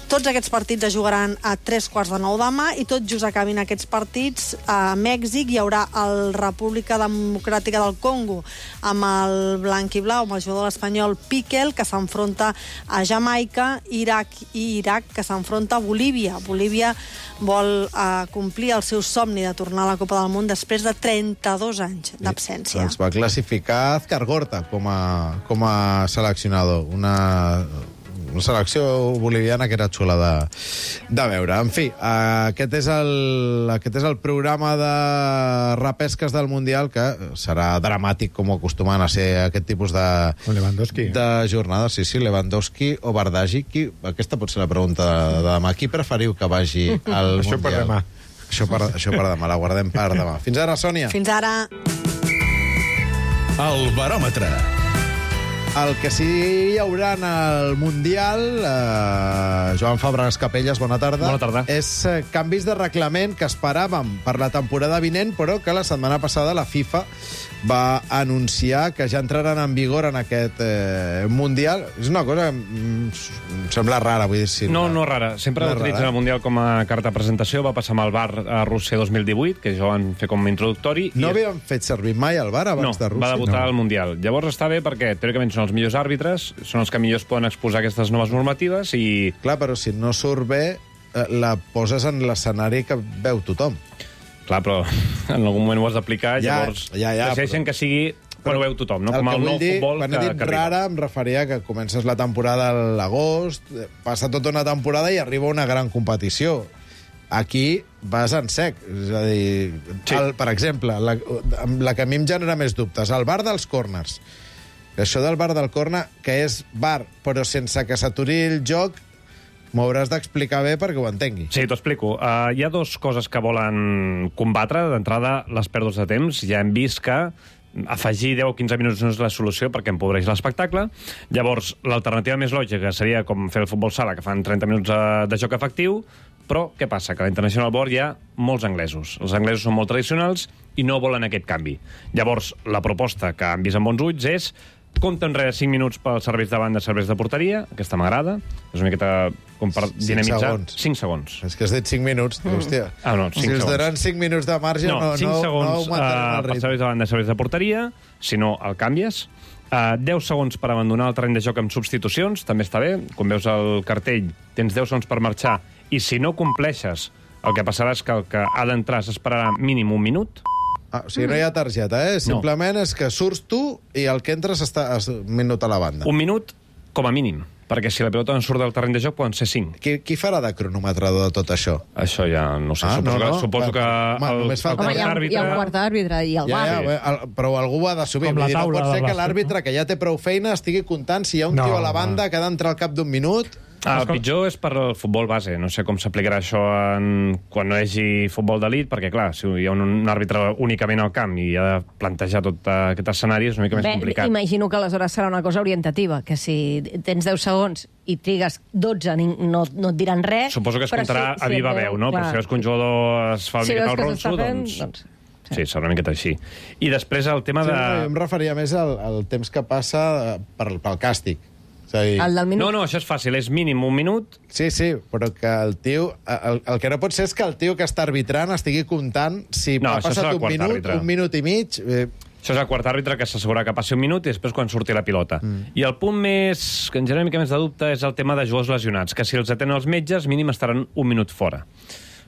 Tots aquests partits es jugaran a tres quarts de nou demà i tot just acabin aquests partits a Mèxic hi haurà el República Democràtica del Congo amb el blanc i blau, amb el jugador espanyol Piquel, que s'enfronta a Jamaica, Iraq i Iraq, que s'enfronta a Bolívia. Bolívia vol eh, complir el seu somni de tornar a la Copa del Món després de trenta-dos anys d'absència. Els va classificar Azcar Gorta com a, com a seleccionador. Una... una selecció boliviana que era xula de, de veure. En fi, aquest és, el, aquest és el programa de repesques del Mundial, que serà dramàtic com acostumen a ser aquest tipus de, Lewandowski. de jornades. Sí, sí, Lewandowski o Bardagi. Qui, aquesta pot ser la pregunta de, de demà. Qui preferiu que vagi al Això Mundial? per demà. Això per, això per demà, la guardem per demà. Fins ara, Sònia. Fins ara. El baròmetre. El que sí hi haurà en el Mundial, eh, Joan Fabregas Capelles, bona tarda. Bona tarda. És eh, canvis de reglament que esperàvem per la temporada vinent, però que la setmana passada la FIFA va anunciar que ja entraran en vigor en aquest eh, Mundial. És una cosa que mm, em sembla rara, vull dir... Si No, no rara. Sempre No és utilitzen rara. el Mundial com a carta de presentació. Va passar amb el bar a Rússia dos mil divuit, que ja ho van fer com a introductori. No i... havíem fet servir mai el VAR abans no, de Rússia? va debutar no. al Mundial. Llavors està bé perquè, teòricament, són els millors àrbitres, són els que millors poden exposar aquestes noves normatives i... Clar, però si no surt bé, eh, la poses en l'escenari que veu tothom. Clar, però en algun moment ho has d'aplicar, Ja, llavors ja, ja, decideixen però- que sigui quan ho veu tothom, no? El Com que el vull nou dir, futbol quan que, he dit que arriba. rara, em referia que comences la temporada a l'agost, passa tota una temporada i arriba una gran competició. Aquí vas en sec. És a dir, sí. el, per exemple, la, la que a mi em genera més dubtes, el bar dels corners. Això del bar del corner, que és bar, però sense que s'aturi el joc, m'ho hauràs d'explicar bé perquè ho entengui. Sí, t'ho explico. Uh, hi ha dues coses que volen combatre. D'entrada, les pèrdues de temps. Ja hem vist que afegir deu o quinze minuts no és la solució perquè empobreix l'espectacle. Llavors, l'alternativa més lògica seria com fer el futbol sala, que fan trenta minuts de joc efectiu, però què passa? Que a la International Board hi ha molts anglesos. Els anglesos són molt tradicionals i no volen aquest canvi. Llavors, la proposta que han vist amb bons ulls és compte enrere cinc minuts pels serveis de banda, serveis de porteria, aquesta m'agrada, és una miqueta com per dinamitzar. segons. cinc segons. És que has dit cinc minuts, mm. hòstia. Ah, no, si cinc els segons. donen cinc minuts de marge, no, no, cinc no, segons, no augmentarem uh, el per ritme. serveis de banda, serveis de porteria, si no, el canvies. Uh, deu segons per abandonar el terreny de joc amb substitucions, també està bé. Quan veus el cartell, tens deu segons per marxar, i si no compleixes, el que passarà és que el que ha d'entrar s'esperarà mínim un minut. Ah, o sigui, no hi ha targeta, eh? Simplement no. És que surts tu i el que entres està un minut a la banda. Un minut com a mínim, perquè si la pilota no surt del terreny de joc poden ser cinc. Qui, qui farà de cronometrador de tot això? Això ja no sé, ah, suposo, no, no. que, suposo que... Home, el, només falta... Home, hi ha, hi ha un quart d'àrbitre i el ja, bar. ja, el, però algú ho ha d'assumir. Com la No taula pot ser de que bàsquet, l'àrbitre, que ja té prou feina, estigui comptant si hi ha un No, tio a la no. banda que ha d'entrar al cap d'un minut. Ah, el pitjor és per al futbol base. No sé com s'aplicarà això en... quan no hi hagi futbol d'elit, perquè, clar, si hi ha un, un àrbitre únicament al camp i ha de plantejar tot aquest escenari, és una mica Bé, més complicat. imagino que aleshores serà una cosa orientativa, que si tens deu segons i trigues dotze, no, no et diran res... Suposo que es però comptarà si- a si viva et- veu, no? clar. Però si veus que un jugador es fa una Si miqueta veus el que s'està ronso, fent, doncs... doncs... Sí, serà una miqueta així. I després el tema Sí, de... no, jo em referia més al, al temps que passa per, pel càstig. És a dir... El del minut? No, no, això és fàcil, és mínim un minut. Sí, sí, però que el tio... El, el que no pot ser és que el tio que està arbitrant estigui comptant si No, ha això passat serà el un quart minut, àrbitre. un minut i mig... Eh, Això és el quart àrbitre que s'assegura que passi un minut i després quan surti la pilota. Mm. I el punt més que ens genera una mica més de dubte és el tema de jugadors lesionats, que si els atenen els metges, mínim estaran un minut fora.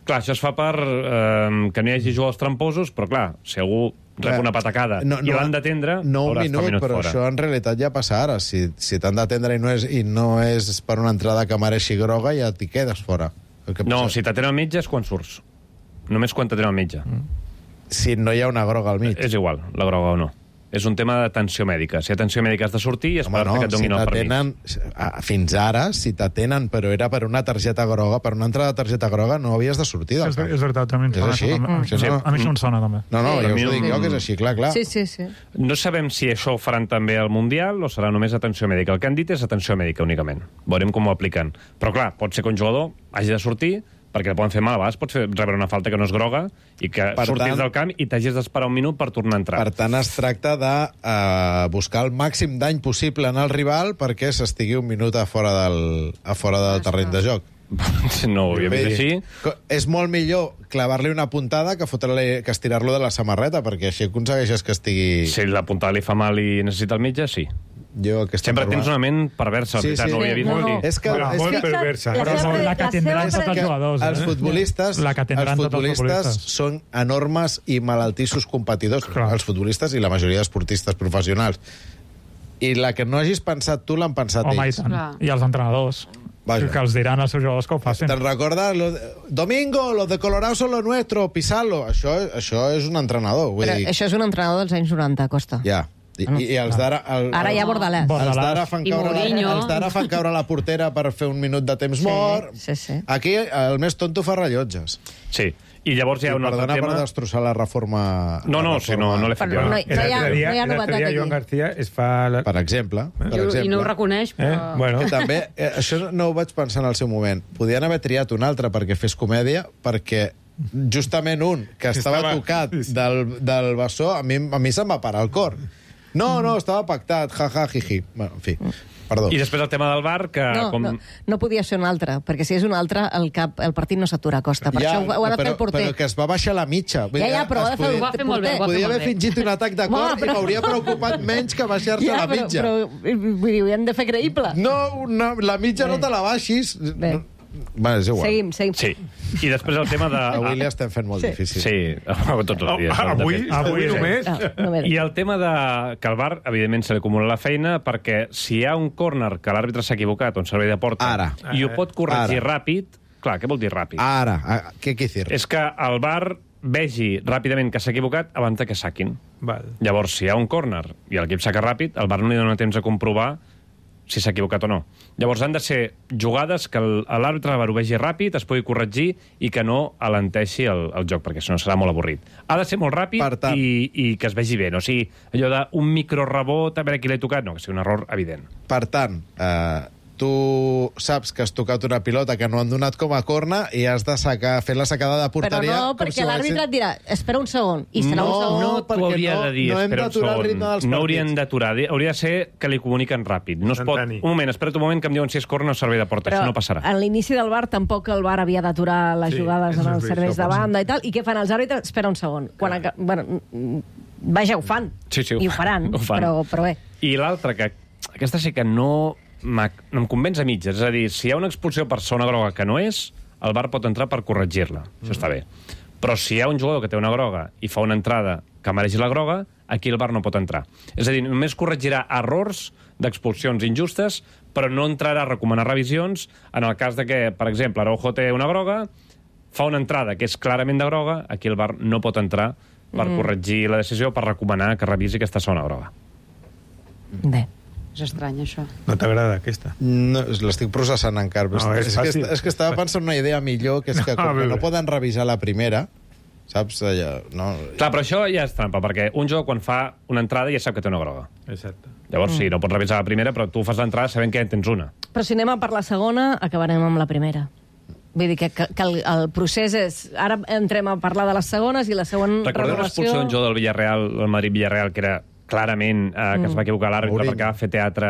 Clar, això es fa per eh, que no hi hagi jugadors tramposos, però clar, si algú rep una patacada no, i no, l'han d'atendre, no un haurà minut, estat un minut però fora. això en realitat ja passa ara. Si, si t'han d'atendre i, no és, i no és per una entrada que mereixi groga, ja t'hi quedes fora. El que No, passa... si t'atenen el metge és quan surts. Només quan t'atenen el metge. Mm. Si no hi ha una groga al mig. És igual, la groga o no. És un tema d'atenció mèdica. Si atenció mèdica has de sortir i esperar Home, no, que et donin si el t'atenen, permís. ah, fins ara, si t'atenen, però era per una targeta groga, per una entrada de targeta groga, no havies de sortir del És, camp. és veritat, també em És sona. així. A, mi- Sí, no. a mi això em sona, també. No, no, Sí. jo us A mi ho dic no- jo, que és així, clar, clar. Sí, sí, sí. No sabem si això ho faran també al Mundial o serà només atenció mèdica. El que han dit és atenció mèdica únicament. Veurem com ho apliquen. Però clar, pot ser que un jugador hagi de sortir perquè el poden fer mal, a vegades pots fer, rebre una falta que no és groga i que Per surtis tant- del camp i t'hagis d'esperar un minut per tornar a entrar. Per tant, es tracta de uh, buscar el màxim dany possible en el rival perquè s'estigui un minut a fora del, a fora del terreny de joc. No ho havia vist així. Co- És molt millor clavar-li una puntada que, fotre-li- que estirar-lo de la samarreta, perquè així aconsegueixes que estigui... Si la puntada li fa mal i necessita el metge, sí. Jo, aquesta Sempre norma- tens una ment perversa, Sí, sí, sí. sí. no ho havia vist No, mai. no. És que, Bueno, és molt que perversa. la Però seva- no, la que la tindran seva- tots els jugadors. els eh? futbolistes, La que els tindran tots els futbolistes futbolistes. són enormes i malaltissos competidors, Clar. els futbolistes i la majoria d'esportistes professionals. I la que no hagis pensat tu l'han pensat Home, i ells. tant. Clar. I els entrenadors. Vaja. Que els diran als seus jugadors que ho facin. Te'n recordes? Lo de... Domingo, los de Colorado son los nuestros, pisalo. Això, això és un entrenador. Vull Però dir, això és un entrenador dels anys noranta, Costa. ja. I, i, i els d'ara... el- Ara hi ha Bordalàs. Els d'ara fan, I caure, Mourinho. els d'ara fan caure la portera per fer un minut de temps Sí, mort. sí, sí. Aquí el més tonto fa rellotges. Sí. I llavors hi I ha un altre perdona tema... per destrossar la reforma... No, no, la si no, no l'he fet Però jo. no hi- no hi ha- no hi ha novetat aquí. Joan García es fa... La... Per exemple. Per I, exemple. I no ho reconeix, Eh? però... Bueno, Que també, eh, això no ho vaig pensar en el seu moment. Podien haver triat un altre perquè fes comèdia, perquè justament un que estava, Estava- tocat del, del bessó, a mi, a mi se'm va parar el cor. No, no, estava pactat, ja, ja, jiji. Bueno, en fi, perdó. I després el tema del bar, que... No, com... no, no podia ser un altre, perquè si és un altre, el, cap, el partit no s'atura a Costa. Per això ho, ho ha de però, fer el porter. Però que es va baixar la mitja. Vull Ja, dir, ja, però ho ha es de fer el podia- Ho va fer molt bé, ho va fer Podia molt haver bé. fingit un atac de cor Home, però- i m'hauria preocupat menys que baixar-se Ja, la però, mitja. però, vull dir, ho hem de fer creïble. No, una, la mitja no te la baixis. Bé. Va, és igual. Seguim, seguim. Sí. I després el tema de... Avui li estem fent molt Sí. difícil. Sí, tots els dies. Ah, avui, De fet. avui Sí. només. No, no m'he I el tema de que al bar, evidentment, se li acumula la feina perquè si hi ha un córner que l'àrbitre s'ha equivocat o un servei de porta Ara. i ho pot corregir Ara. ràpid, clar, què vol dir ràpid? Ara, a- què què dir? És que el bar vegi ràpidament que s'ha equivocat abans de que saquin. Val. Llavors, si hi ha un córner i l'equip saca ràpid, el bar no li dona temps a comprovar si s'ha equivocat o no. Llavors han de ser jugades que l'àrbitre la vegi ràpid, es pugui corregir i que no alenteixi el, el joc, perquè si no serà molt avorrit. Ha de ser molt ràpid tant... i, i que es vegi bé. No? O sigui, allò d'un microrebot, a veure qui l'he tocat, no, que sigui un error evident. Per tant, eh, tu saps que has tocat una pilota que no han donat com a corna i has de sacar, fer la sacada de porteria... Però no, perquè si l'àrbitre et dirà, espera un segon, i serà no, un segon. No, t'ho hauria no, de dir, no hem espera un segon. No haurien d'aturar, hauria de ser que li comuniquen ràpid. No es pot... Un moment, espera't un moment que em diuen si és corna o servei de porta, però això no passarà. A l'inici del V A R tampoc el V A R havia d'aturar les sí, jugades en els serveis de banda i tal, i què fan els àrbitres? Espera un segon. Quan aca... bueno, vaja, ho fan, sí, sí, ho i ho faran, ho fan. Però, però bé. I l'altra, que aquesta sí que no... em convenç a mitges. És a dir, si hi ha una expulsió per zona groga que no és, el V A R pot entrar per corregir-la. Mm. Això està bé. Però si hi ha un jugador que té una groga i fa una entrada que mereix la groga, aquí el V A R no pot entrar. És a dir, només corregirà errors d'expulsions injustes, però no entrarà a recomanar revisions en el cas de que, per exemple, Araujo té una groga, fa una entrada que és clarament de groga, aquí el V A R no pot entrar per mm. corregir la decisió, per recomanar que revisi aquesta zona groga. Bé. És estrany, això. No t'agrada, aquesta? No, l'estic processant encara. No, és, és, que, és que estava pensant una idea millor, que és que com que no poden revisar la primera, saps? Allà, no... Clar, però això ja és trampa, perquè un jugador quan fa una entrada ja sap que té una groga. Exacte. Llavors, Mm. sí, no pots revisar la primera, però tu fas l'entrada sabent que ja en tens una. Però si anem a per la segona, acabarem amb la primera. Vull dir que, que, que el, el procés és... Ara entrem a parlar de les segones i la següent Recordeu l'expulsió d'un jugador del Villarreal, el Madrid-Villarreal, que era clarament eh, que mm. es va equivocar l'àrbitre perquè va fer teatre...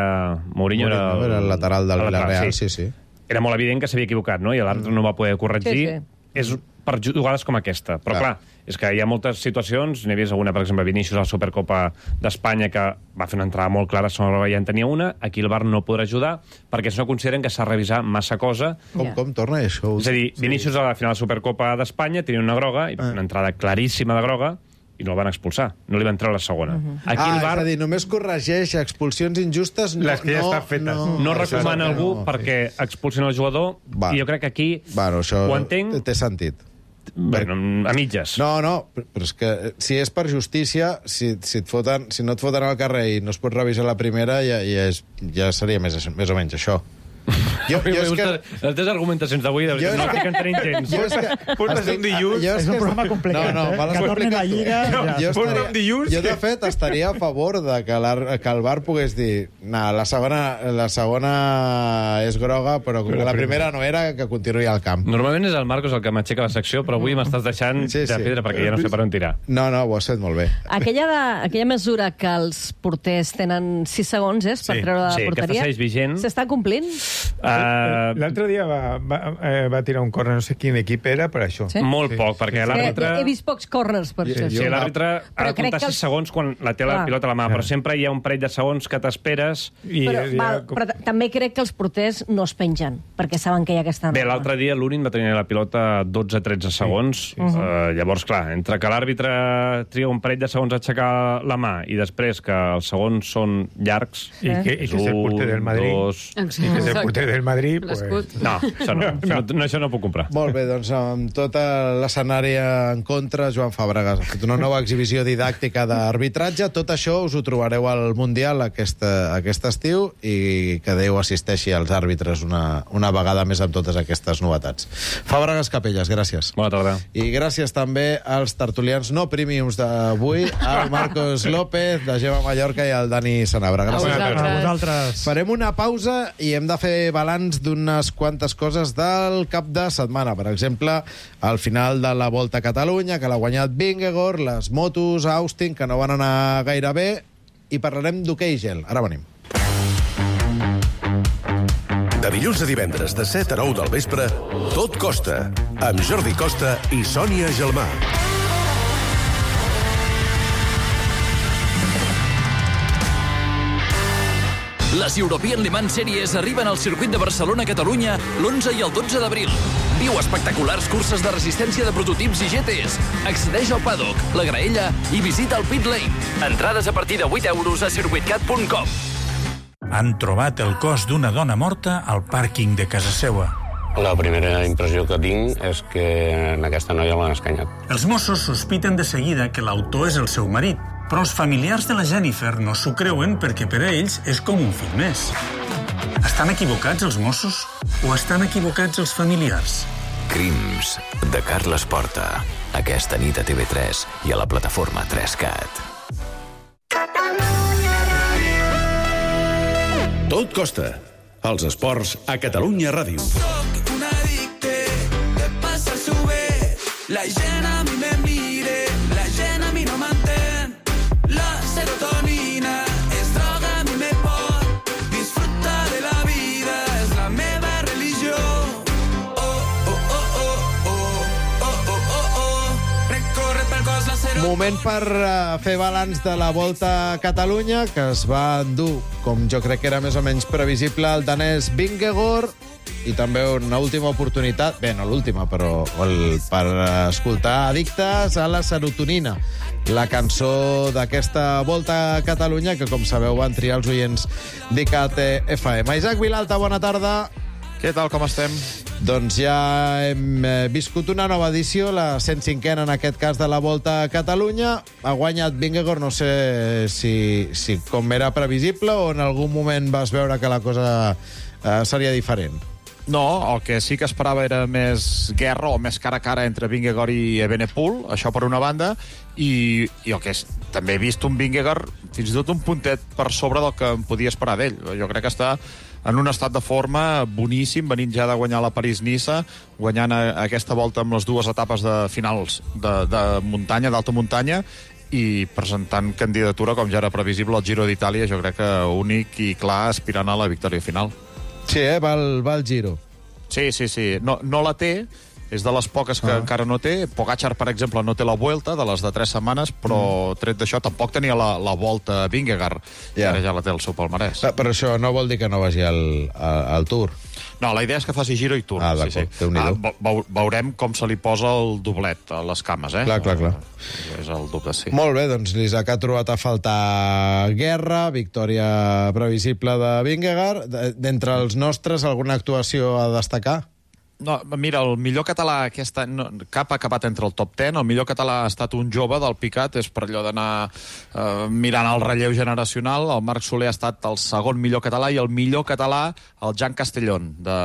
Mourinho, Mourinho era, el, era el lateral del Villarreal, sí. sí, sí. Era molt evident que s'havia equivocat, no? I l'àrbitre no va poder corregir. Sí, sí. És per jugades com aquesta. Però clar. clar, és que hi ha moltes situacions, n'he vist alguna, per exemple, Vinícius a la Supercopa d'Espanya, que va fer una entrada molt clara, sobre ja en tenia una, aquí el V A R no podrà ajudar, perquè no consideren que s'ha de revisar massa cosa. Com, yeah. com torna això? És a dir, Vinícius sí. a la final de la Supercopa d'Espanya tenia una groga, i ah. una entrada claríssima de groga, i no el van expulsar. No li va entrar a la segona. Uh -huh. Aquí ah, el V A R... és a dir, només corregeix expulsions injustes... No, les que ja no, estan fetes. No, no recomana no, algú no, perquè sí. expulsin el jugador, va. I jo crec que aquí bueno, això ho entenc... té sentit. Bueno, a mitges. No, no, però és que si és per justícia, si, si, et foten, si no et foten al carrer i no es pot revisar la primera, ja, ja, és, ja seria més, més o menys això. Jo, jo és que... Les teves argumentacions d'avui no estic entenent gens. Jo és que... Portes un dilluns... És un programa complicat, no, no, eh? Que torni la Lliga... No, jo, estaria, un dilluns... jo, de fet, estaria a favor de que, que el V A R pogués dir nah, la, segona, la segona és groga, però com que la primera no era, que continuï al camp. Normalment és el Marcos el que m'aixeca la secció, però avui m'estàs deixant sí, sí. de pedra, perquè ja no sé per on tirar. No, no, ho has fet molt bé. Aquella, de, aquella mesura que els porters tenen sis segons, és, per sí. treure la sí, porteria, s'està complint? Uh, L'altre dia va, va, eh, va tirar un córner, no sé quin equip era, per això. Sí? Molt poc, perquè sí. l'àrbitre... He, he vist pocs corners, per això. Sí, l'àrbitre ha de comptar sis els... segons quan la té la pilota a la mà, però sempre hi ha un parell de segons que t'esperes... I... Però, ja... val, però també crec que els porters no es pengen, perquè saben que hi ha aquesta norma. Bé, l'altre dia l'Unin va tenir la pilota dotze tretze segons. Sí, sí. Uh, uh, llavors, clar, entre que l'àrbitre tria un parell de segons a aixecar la mà i després que els segons són llargs... I que, i que és el porter del Madrid. Dos... I que és el porter del Madrid, pues... No, això no, no. no, això no puc comprar. Molt bé, doncs amb tot l'escenari en contra, Joan Fàbregas ha fet una nova exhibició didàctica d'arbitratge. Tot això us ho trobareu al Mundial aquest, aquest estiu i que Déu assisteixi als àrbitres una, una vegada més amb totes aquestes novetats. Fàbregas Capelles, gràcies. Bona tarda. I gràcies també als tertulians no premiums d'avui, al Marcos López, de Gemma Mallorca i al Dani Sanabra. Gràcies a vosaltres. Farem una pausa i hem de fer balanç d'unes quantes coses del cap de setmana. Per exemple, al final de la Volta a Catalunya, que l'ha guanyat Vingegaard, les motos a Austin, que no van anar gaire bé, i parlarem d'hoquei gel. Ara venim. De dilluns a divendres, de set a nou del vespre, Tot Costa, amb Jordi Costa i Sònia Gelmà. Les European Le Mans Series arriben al circuit de Barcelona-Catalunya l'onze i el dotze d'abril. Viu espectaculars curses de resistència de prototips i G Ts. Accedeix al paddock, la graella i visita el pit lane. Entrades a partir de vuit euros a circuitcat punt com. Han trobat el cos d'una dona morta al pàrquing de casa seva. La primera impressió que tinc és que en aquesta noia l'han escanyat. Els Mossos sospiten de seguida que l'autor és el seu marit, però els familiars de la Jennifer no s'ho creuen perquè per a ells és com un fill més. Estan equivocats els Mossos o estan equivocats els familiars? Crims, de Carles Porta. Aquesta nit a T V tres i a la plataforma tres cat. Tot costa. Els esports a Catalunya Ràdio. Soc un addicte, què passa sube? La gent a mi me mire, la gent a mi no m'entén. La serotonina és droga, a mi me pot. Disfruta de la vida, és la meva religió. Oh, oh, oh, oh, oh, oh, oh, oh, oh. Recorre pel cos la serotonina. Moment per uh, fer balanç de la Volta a Catalunya, que es va endur, com jo crec que era més o menys previsible, el danès Vingegaard, i també una última oportunitat, bé, no l'última, però el, per escoltar Addictes a la serotonina, la cançó d'aquesta Volta a Catalunya, que, com sabeu, van triar els oients d'ICAT F M. Isaac Vilalta, bona tarda. Què tal, com estem? Doncs ja hem viscut una nova edició, la cent cinquena en aquest cas de la Volta a Catalunya. Ha guanyat Vingegaard, no sé si, si com era previsible o en algun moment vas veure que la cosa eh, seria diferent. No, el que sí que esperava era més guerra o més cara a cara entre Vingegaard i Evenepoel, això per una banda, i, i el que és, també he vist un Vingegaard fins i tot un puntet per sobre del que em podia esperar d'ell. Jo crec que està en un estat de forma boníssim, venint ja de guanyar la París-Niça, guanyant a, a aquesta volta amb les dues etapes de finals de, de muntanya, d'alta muntanya, i presentant candidatura, com ja era previsible, al Giro d'Itàlia, jo crec que únic i clar aspirant a la victòria final. Sí, eh? Va al, va al Giro. Sí, sí, sí. No, no la té, és de les poques que ah. encara no té. Pogacar, per exemple, no té la Vuelta, de les de tres setmanes, però mm. tret d'això tampoc tenia la, la Volta a Vingegaard, i yeah. ara ja la té el seu palmarès. Ah, però això no vol dir que no vagi al, al, al Tour. No, la idea és que faci Giro i Tour. Ah, d'acord, sí, sí. ah, veurem com se li posa el doblet a les cames, eh? Clar, clar, clar. És el doble, sí. Molt bé, doncs l'Isaac ha trobat a faltar guerra, victòria previsible de Vingegaard. D'entre els nostres, alguna actuació a destacar? No, mira, el millor català aquesta, no, cap ha acabat entre el top deu. El millor català ha estat un jove del Picat, és per allò d'anar eh, mirant el relleu generacional. El Marc Soler ha estat el segon millor català i el millor català el Jan Castellón, de,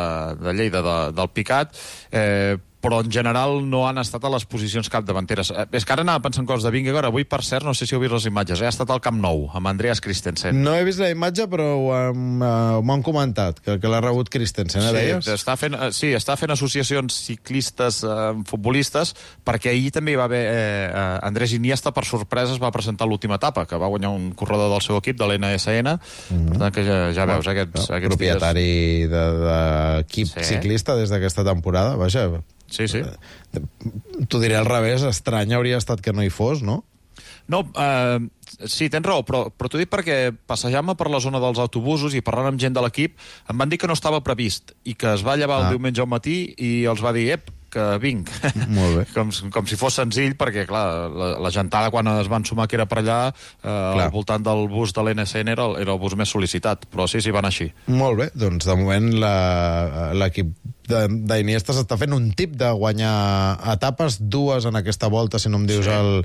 de Lleida, de, del Picat. Eh, però en general no han estat a les posicions capdavanteres. Eh, és que ara anava pensant coses de Vingegaard. Avui, per cert, no sé si heu vist les imatges, eh? Ha estat al Camp Nou, amb Andreas Christensen. No he vist la imatge, però uh, m'ho han comentat, que, que l'ha rebut Christensen, eh, sí, deies? Està fent, sí, està fent associacions ciclistes eh, futbolistes, perquè ahir també hi va haver eh, Andrés Iniesta, per sorpresa, es va presentar l'última etapa, que va guanyar un corredor del seu equip, de l'N S N, mm-hmm. per tant que ja, ja veus, eh, aquests, no, aquests propietari dies... d'equip de, sí. ciclista des d'aquesta temporada, vaja... Sí, sí. T'ho diré al revés, estrany hauria estat que no hi fos, no? No, eh, sí, tens raó, però, però t'ho dic perquè passejant-me per la zona dels autobusos i parlant amb gent de l'equip, em van dir que no estava previst i que es va llevar ah. el diumenge al matí i els va dir, ep, que vinc. Molt bé. com, com si fos senzill, perquè, clar, la, la gentada, quan es van sumar que era per allà, eh, al voltant del bus de l'N S N era, era el bus més sol·licitat, però sí, sí, van així. Molt bé, doncs de moment l'equip d'Iniesta s'està fent un tip de guanyar etapes, dues en aquesta volta, si no em dius sí. el,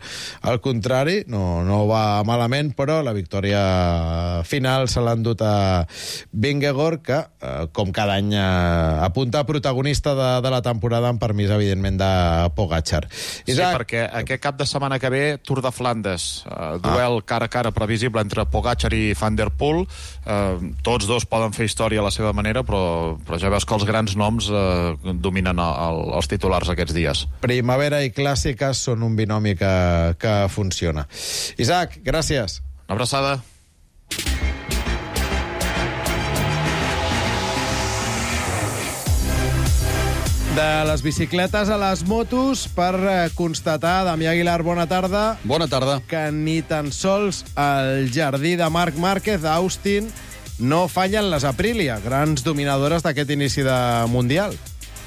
el contrari. No, no va malament, però la victòria final se l'ha endut a Vingegaard, que, eh, com cada any, eh, apunta a protagonista de, de la temporada, amb permís, evidentment, de Pogacar. Isaac... Sí, perquè aquest cap de setmana que ve, Tour de Flandes, eh, duel ah. cara a cara previsible entre Pogacar i Van der Poel. Eh, tots dos poden fer història a la seva manera, però, però ja veus que els grans noms eh, dominen el, els titulars aquests dies. Primavera i clàssiques són un binomi que, que funciona. Isaac, gràcies. Una abraçada. De les bicicletes a les motos, per constatar, Damià Aguilar, bona tarda. Bona tarda. Que ni tan sols el jardí de Marc Márquez, d'Austin, no fallen les Aprilia, grans dominadores d'aquest inici de Mundial.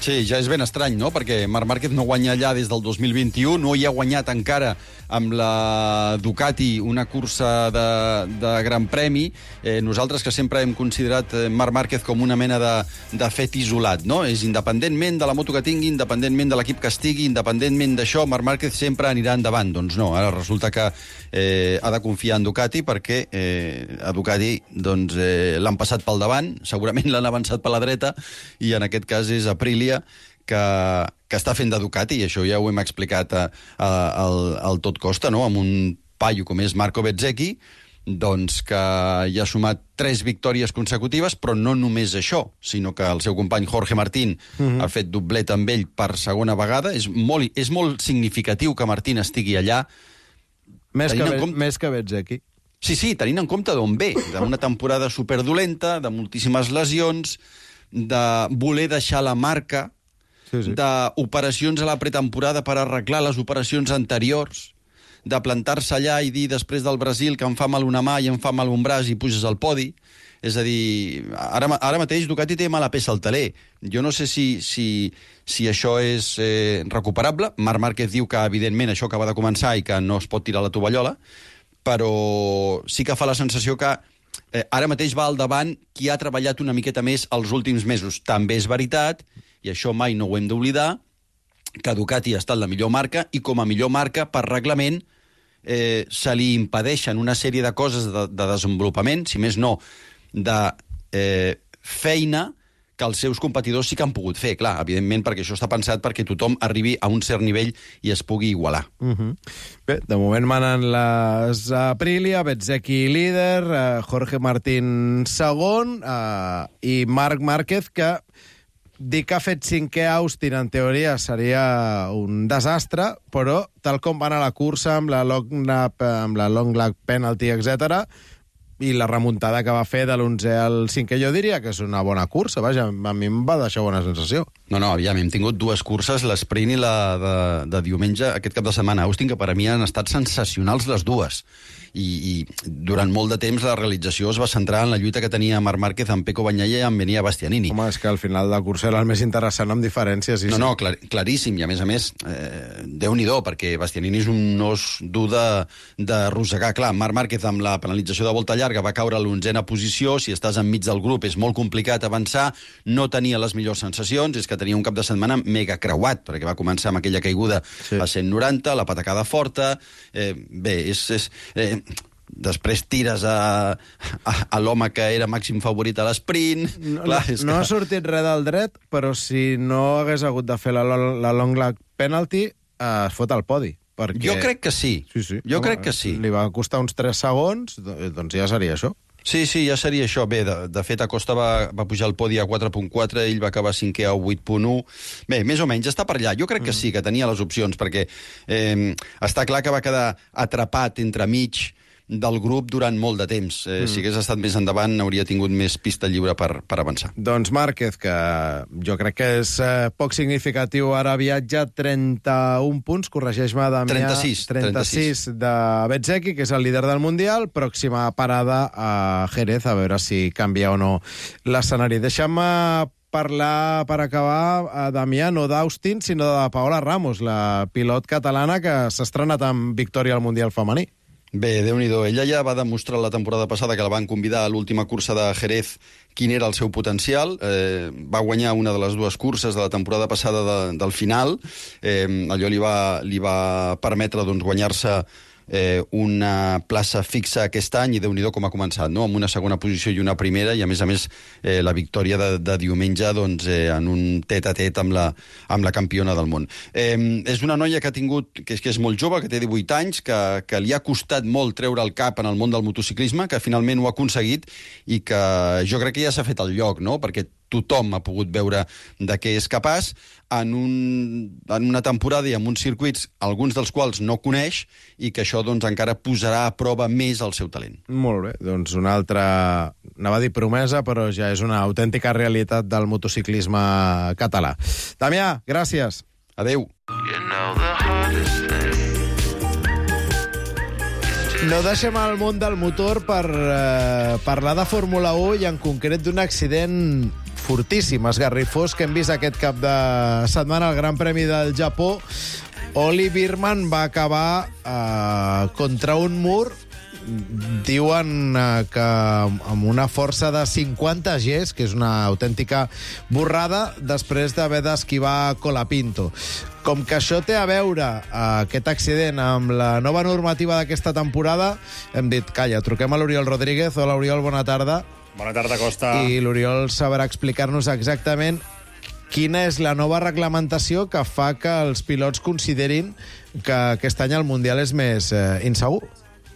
Sí, ja és ben estrany, no?, perquè Marc Márquez no guanya allà des del dos mil vint-i-u, no hi ha guanyat encara amb la Ducati una cursa de, de Gran Premi, eh, nosaltres que sempre hem considerat Marc Márquez com una mena de, de fet isolat, no? És independentment de la moto que tingui, independentment de l'equip que estigui, independentment d'això, Marc Márquez sempre anirà endavant. Doncs no, ara resulta que eh, ha de confiar en Ducati perquè eh, a Ducati doncs, eh, l'han passat pel davant, segurament l'han avançat per la dreta, i en aquest cas és Aprilia que, que està fent de Ducati, i això ja ho hem explicat a, a, al, al Tot Costa, no? Amb un paio com és Marco Bezzecchi, doncs que hi ha sumat tres victòries consecutives, però no només això, sinó que el seu company Jorge Martín uh-huh. ha fet doblet amb ell per segona vegada. És molt, és molt significatiu que Martín estigui allà. Més que, compte... més que Bezzecchi. Sí, sí, tenint en compte d'on ve, d'una temporada superdolenta, de moltíssimes lesions, de voler deixar la marca, sí, sí. d'operacions a la pretemporada per arreglar les operacions anteriors, de plantar-se allà i dir després del Brasil que em fa mal una mà i em fa mal un braç i puges al podi. És a dir, ara, ara mateix Ducati té mala peça al taler. Jo no sé si, si, si això és eh, recuperable. Marc Márquez diu que, evidentment, això acaba de començar i que no es pot tirar la tovallola, però sí que fa la sensació que eh, ara mateix va al davant qui ha treballat una miqueta més els últims mesos. També és veritat, i això mai no ho hem d'oblidar, que Ducati ha estat la millor marca i com a millor marca, per reglament, eh, se li impedeixen una sèrie de coses de, de desenvolupament, si més no, de eh, feina que els seus competidors sí que han pogut fer, clar, evidentment, perquè això està pensat perquè tothom arribi a un cert nivell i es pugui igualar. Uh-huh. Bé, de moment manen les Aprilia, Bezzecchi líder, eh, Jorge Martín segon, eh, i Marc Márquez, que dir que ha fet cinquè a Austin, en teoria, seria un desastre, però tal com va anar la cursa amb la long lap, amb la long lap penalty, etcètera, i la remuntada que va fer de l'onzè al cinquè, jo diria que és una bona cursa. Vaja, a mi em va deixar bona sensació. No, no, aviam, hem tingut dues curses, l'esprint i la de, de diumenge, aquest cap de setmana a Austin, que per a mi han estat sensacionals les dues. I, i durant molt de temps la realització es va centrar en la lluita que tenia Marc Márquez amb Pecco Bagnaia i amb Enea Bastianini. Home, és que al final de la cursa era el més interessant amb diferències. Sí, no, sí. no, clar, claríssim, i a més a més, eh, Déu-n'hi-do, perquè Bastianini és un os dur de, de rosegar. Clar, Marc Márquez amb la penalització de volta llarga va caure a l'onzena posició, si estàs enmig del grup és molt complicat avançar, no tenia les millors sensacions, és que tenia un cap de setmana mega creuat, perquè va començar amb aquella caiguda sí. a cent noranta, la patacada forta, eh, bé, és... és eh, després tires a, a, a l'home que era màxim favorit a l'esprint. No, Clar, no, no que... ha sortit res del dret, però si no hagués hagut de fer la, la long lap penalty, eh, es fot al podi. Perquè... Jo crec que sí. sí, sí. Jo Home, crec que sí. Li va costar uns tres segons, doncs ja seria això. Sí, sí, ja seria això. Bé, de, de fet, Acosta va, va pujar al podi a quatre punt quatre, ell va acabar cinquè a vuit punt u. Bé, més o menys, està per allà. Jo crec que sí, que tenia les opcions, perquè eh, està clar que va quedar atrapat entre mig del grup durant molt de temps. Eh, mm. Si hagués estat més endavant, hauria tingut més pista lliure per, per avançar. Doncs Márquez, que jo crec que és eh, poc significatiu, ara viatja trenta-un punts, corregeix-me, Damià. trenta-sis. trenta-sis de Bezzecchi, que és el líder del Mundial, pròxima parada a Jerez, a veure si canvia o no l'escenari. Deixa'm parlar, per acabar, a Damià, no d'Austin, sinó de Paola Ramos, la pilot catalana que s'ha estrenat amb victòria al Mundial femení. Bé, Déu-n'hi-do. Ella ja va demostrar la temporada passada que la van convidar a l'última cursa de Jerez quin era el seu potencial. Eh, va guanyar una de les dues curses de la temporada passada de, del final. Eh, allò li va, li va permetre doncs, guanyar-se eh, una plaça fixa aquest any, i Déu-n'hi-do com ha començat, no? Amb una segona posició i una primera, i a més a més eh, la victòria de, de diumenge doncs, eh, en un tet-a-tet amb la, amb la campiona del món. Eh, és una noia que ha tingut, que és, que és molt jove, que té divuit anys, que, que li ha costat molt treure el cap en el món del motociclisme, que finalment ho ha aconseguit, i que jo crec que ja s'ha fet el lloc, no? Perquè tothom ha pogut veure de què és capaç en, un, en una temporada i en uns circuits, alguns dels quals no coneix, i que això doncs, encara posarà a prova més el seu talent. Molt bé, doncs una altra, anava a dir promesa, però ja és una autèntica realitat del motociclisme català. Damià, gràcies. Adéu. No deixem el món del motor per eh, parlar de Fórmula u i en concret d'un accident fortíssim, esgarrifós, que hem vist aquest cap de setmana al Gran Premi del Japó. Oli Birman va acabar eh, contra un mur, diuen eh, que amb una força de cinquanta Gs, que és una autèntica borrada, després d'haver d'esquivar Colapinto. Com que això té a veure, eh, aquest accident, amb la nova normativa d'aquesta temporada, hem dit, calla, truquem a l'Oriol Rodríguez. Hola, Oriol, bona tarda. Bona tarda, Costa. I l'Oriol sabrà explicar-nos exactament quina és la nova reglamentació que fa que els pilots considerin que aquest any el Mundial és més eh, insegur.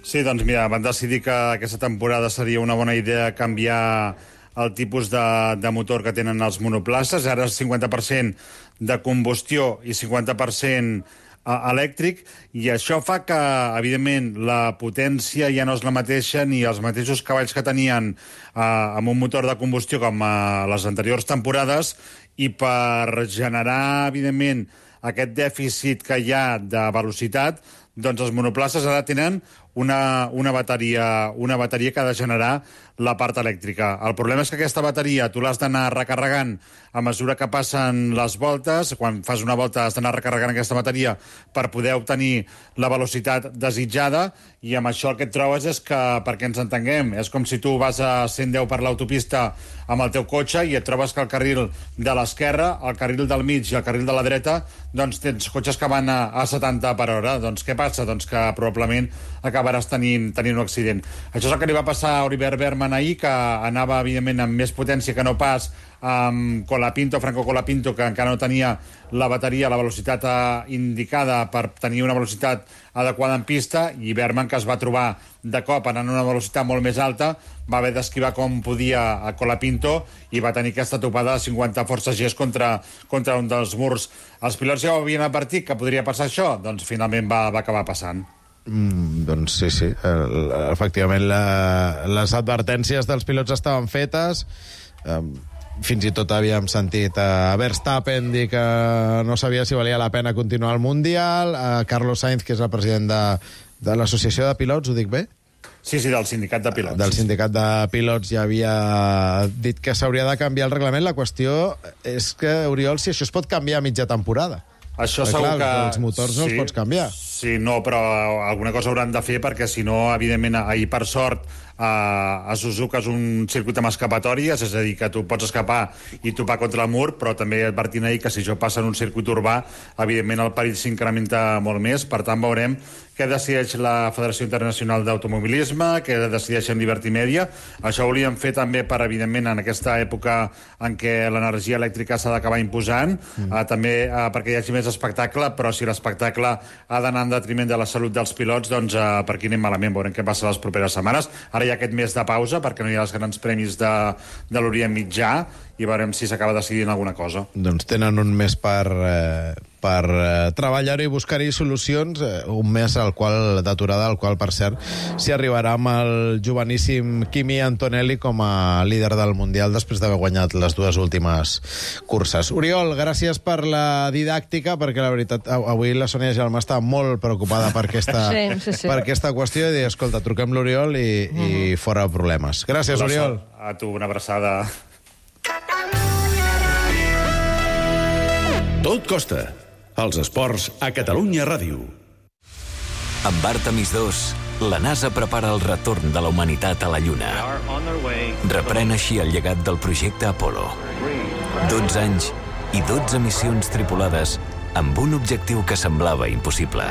Sí, doncs mira, van decidir que aquesta temporada seria una bona idea canviar el tipus de, de motor que tenen els monoplaces. Ara és cinquanta per cent de combustió i cinquanta per cent elèctric, i això fa que, evidentment, la potència ja no és la mateixa ni els mateixos cavalls que tenien eh, amb un motor de combustió com a les anteriors temporades, i per generar, evidentment, aquest dèficit que hi ha de velocitat, doncs els monoplaces ara tenen una, una, bateria, una bateria que ha de generar la part elèctrica. El problema és que aquesta bateria tu l'has d'anar recarregant a mesura que passen les voltes. Quan fas una volta has d'anar recarregant aquesta bateria per poder obtenir la velocitat desitjada, i amb això el que et trobes és que, perquè ens entenguem, és com si tu vas a cent deu per l'autopista amb el teu cotxe i et trobes que el carril de l'esquerra, el carril del mig i el carril de la dreta, doncs tens cotxes que van a, a setanta per hora. Doncs què passa? Doncs que probablement acabaràs tenint, tenint un accident. Això és el que li va passar a Oliver Berman ahir, que anava, evidentment, amb més potència que no pas amb Colapinto, Franco Colapinto, que encara no tenia la bateria, la velocitat indicada per tenir una velocitat adequada en pista, i Berman, que es va trobar de cop anant a una velocitat molt més alta, va haver d'esquivar com podia a Colapinto i va tenir aquesta topada de cinquanta forces Gs contra, contra un dels murs. Els pilots ja ho havien advertit que podria passar això, doncs finalment va, va acabar passant. Mm, doncs sí, sí. El, efectivament, la, les advertències dels pilots estaven fetes. Um, fins i tot havíem sentit a Verstappen dir que no sabia si valia la pena continuar el Mundial, a Carlos Sainz, que és el president de, de l'associació de pilots, ho dic bé? Sí, sí, del sindicat de pilots. Del sindicat de pilots ja havia dit que s'hauria de canviar el reglament. La qüestió és que, Oriol, si això es pot canviar a mitja temporada. Això Però, segur clar, que... els motors sí, no els pots canviar. Sí, no, però alguna cosa hauran de fer, perquè si no, evidentment, ahir, per sort, a, a Suzuka és un circuit amb escapatòries, és a dir, que tu pots escapar i topar contra el mur, però també advertint ahir que si això passa en un circuit urbà, evidentment el perill s'incrementa molt més. Per tant, veurem què decideix la Federació Internacional d'Automobilisme, què decideixen Liberty Media. Això ho volíem fer també per, evidentment, en aquesta època en què l'energia elèctrica s'ha d'acabar imposant, mm. uh, també uh, perquè hi hagi més espectacle, però si l'espectacle ha d'anar en detriment de la salut dels pilots, doncs uh, per aquí anem malament, veurem què passa les properes setmanes. Ara hi ha aquest mes de pausa, perquè no hi ha els grans premis de, de l'Orient Mitjà, i veurem si s'acaba decidint alguna cosa. Doncs tenen un mes per, eh, per eh, treballar-ho i buscar-hi solucions, eh, un mes al qual d'aturada, al qual, per cert, s'hi arribarà amb el joveníssim Kimi Antonelli com a líder del Mundial després d'haver guanyat les dues últimes curses. Oriol, gràcies per la didàctica, perquè la veritat, avui la Sònia Gelmà està molt preocupada per aquesta, sí, sí, sí. per aquesta qüestió, i dir, escolta, truquem l'Oriol i, mm. i fora problemes. Gràcies, Oriol. A tu, una abraçada. Tot costa. Els esports a Catalunya Ràdio. Amb Artemis dos, la NASA prepara el retorn de la humanitat a la Lluna. Reprèn així el llegat del projecte Apollo. dotze anys i dotze missions tripulades amb un objectiu que semblava impossible.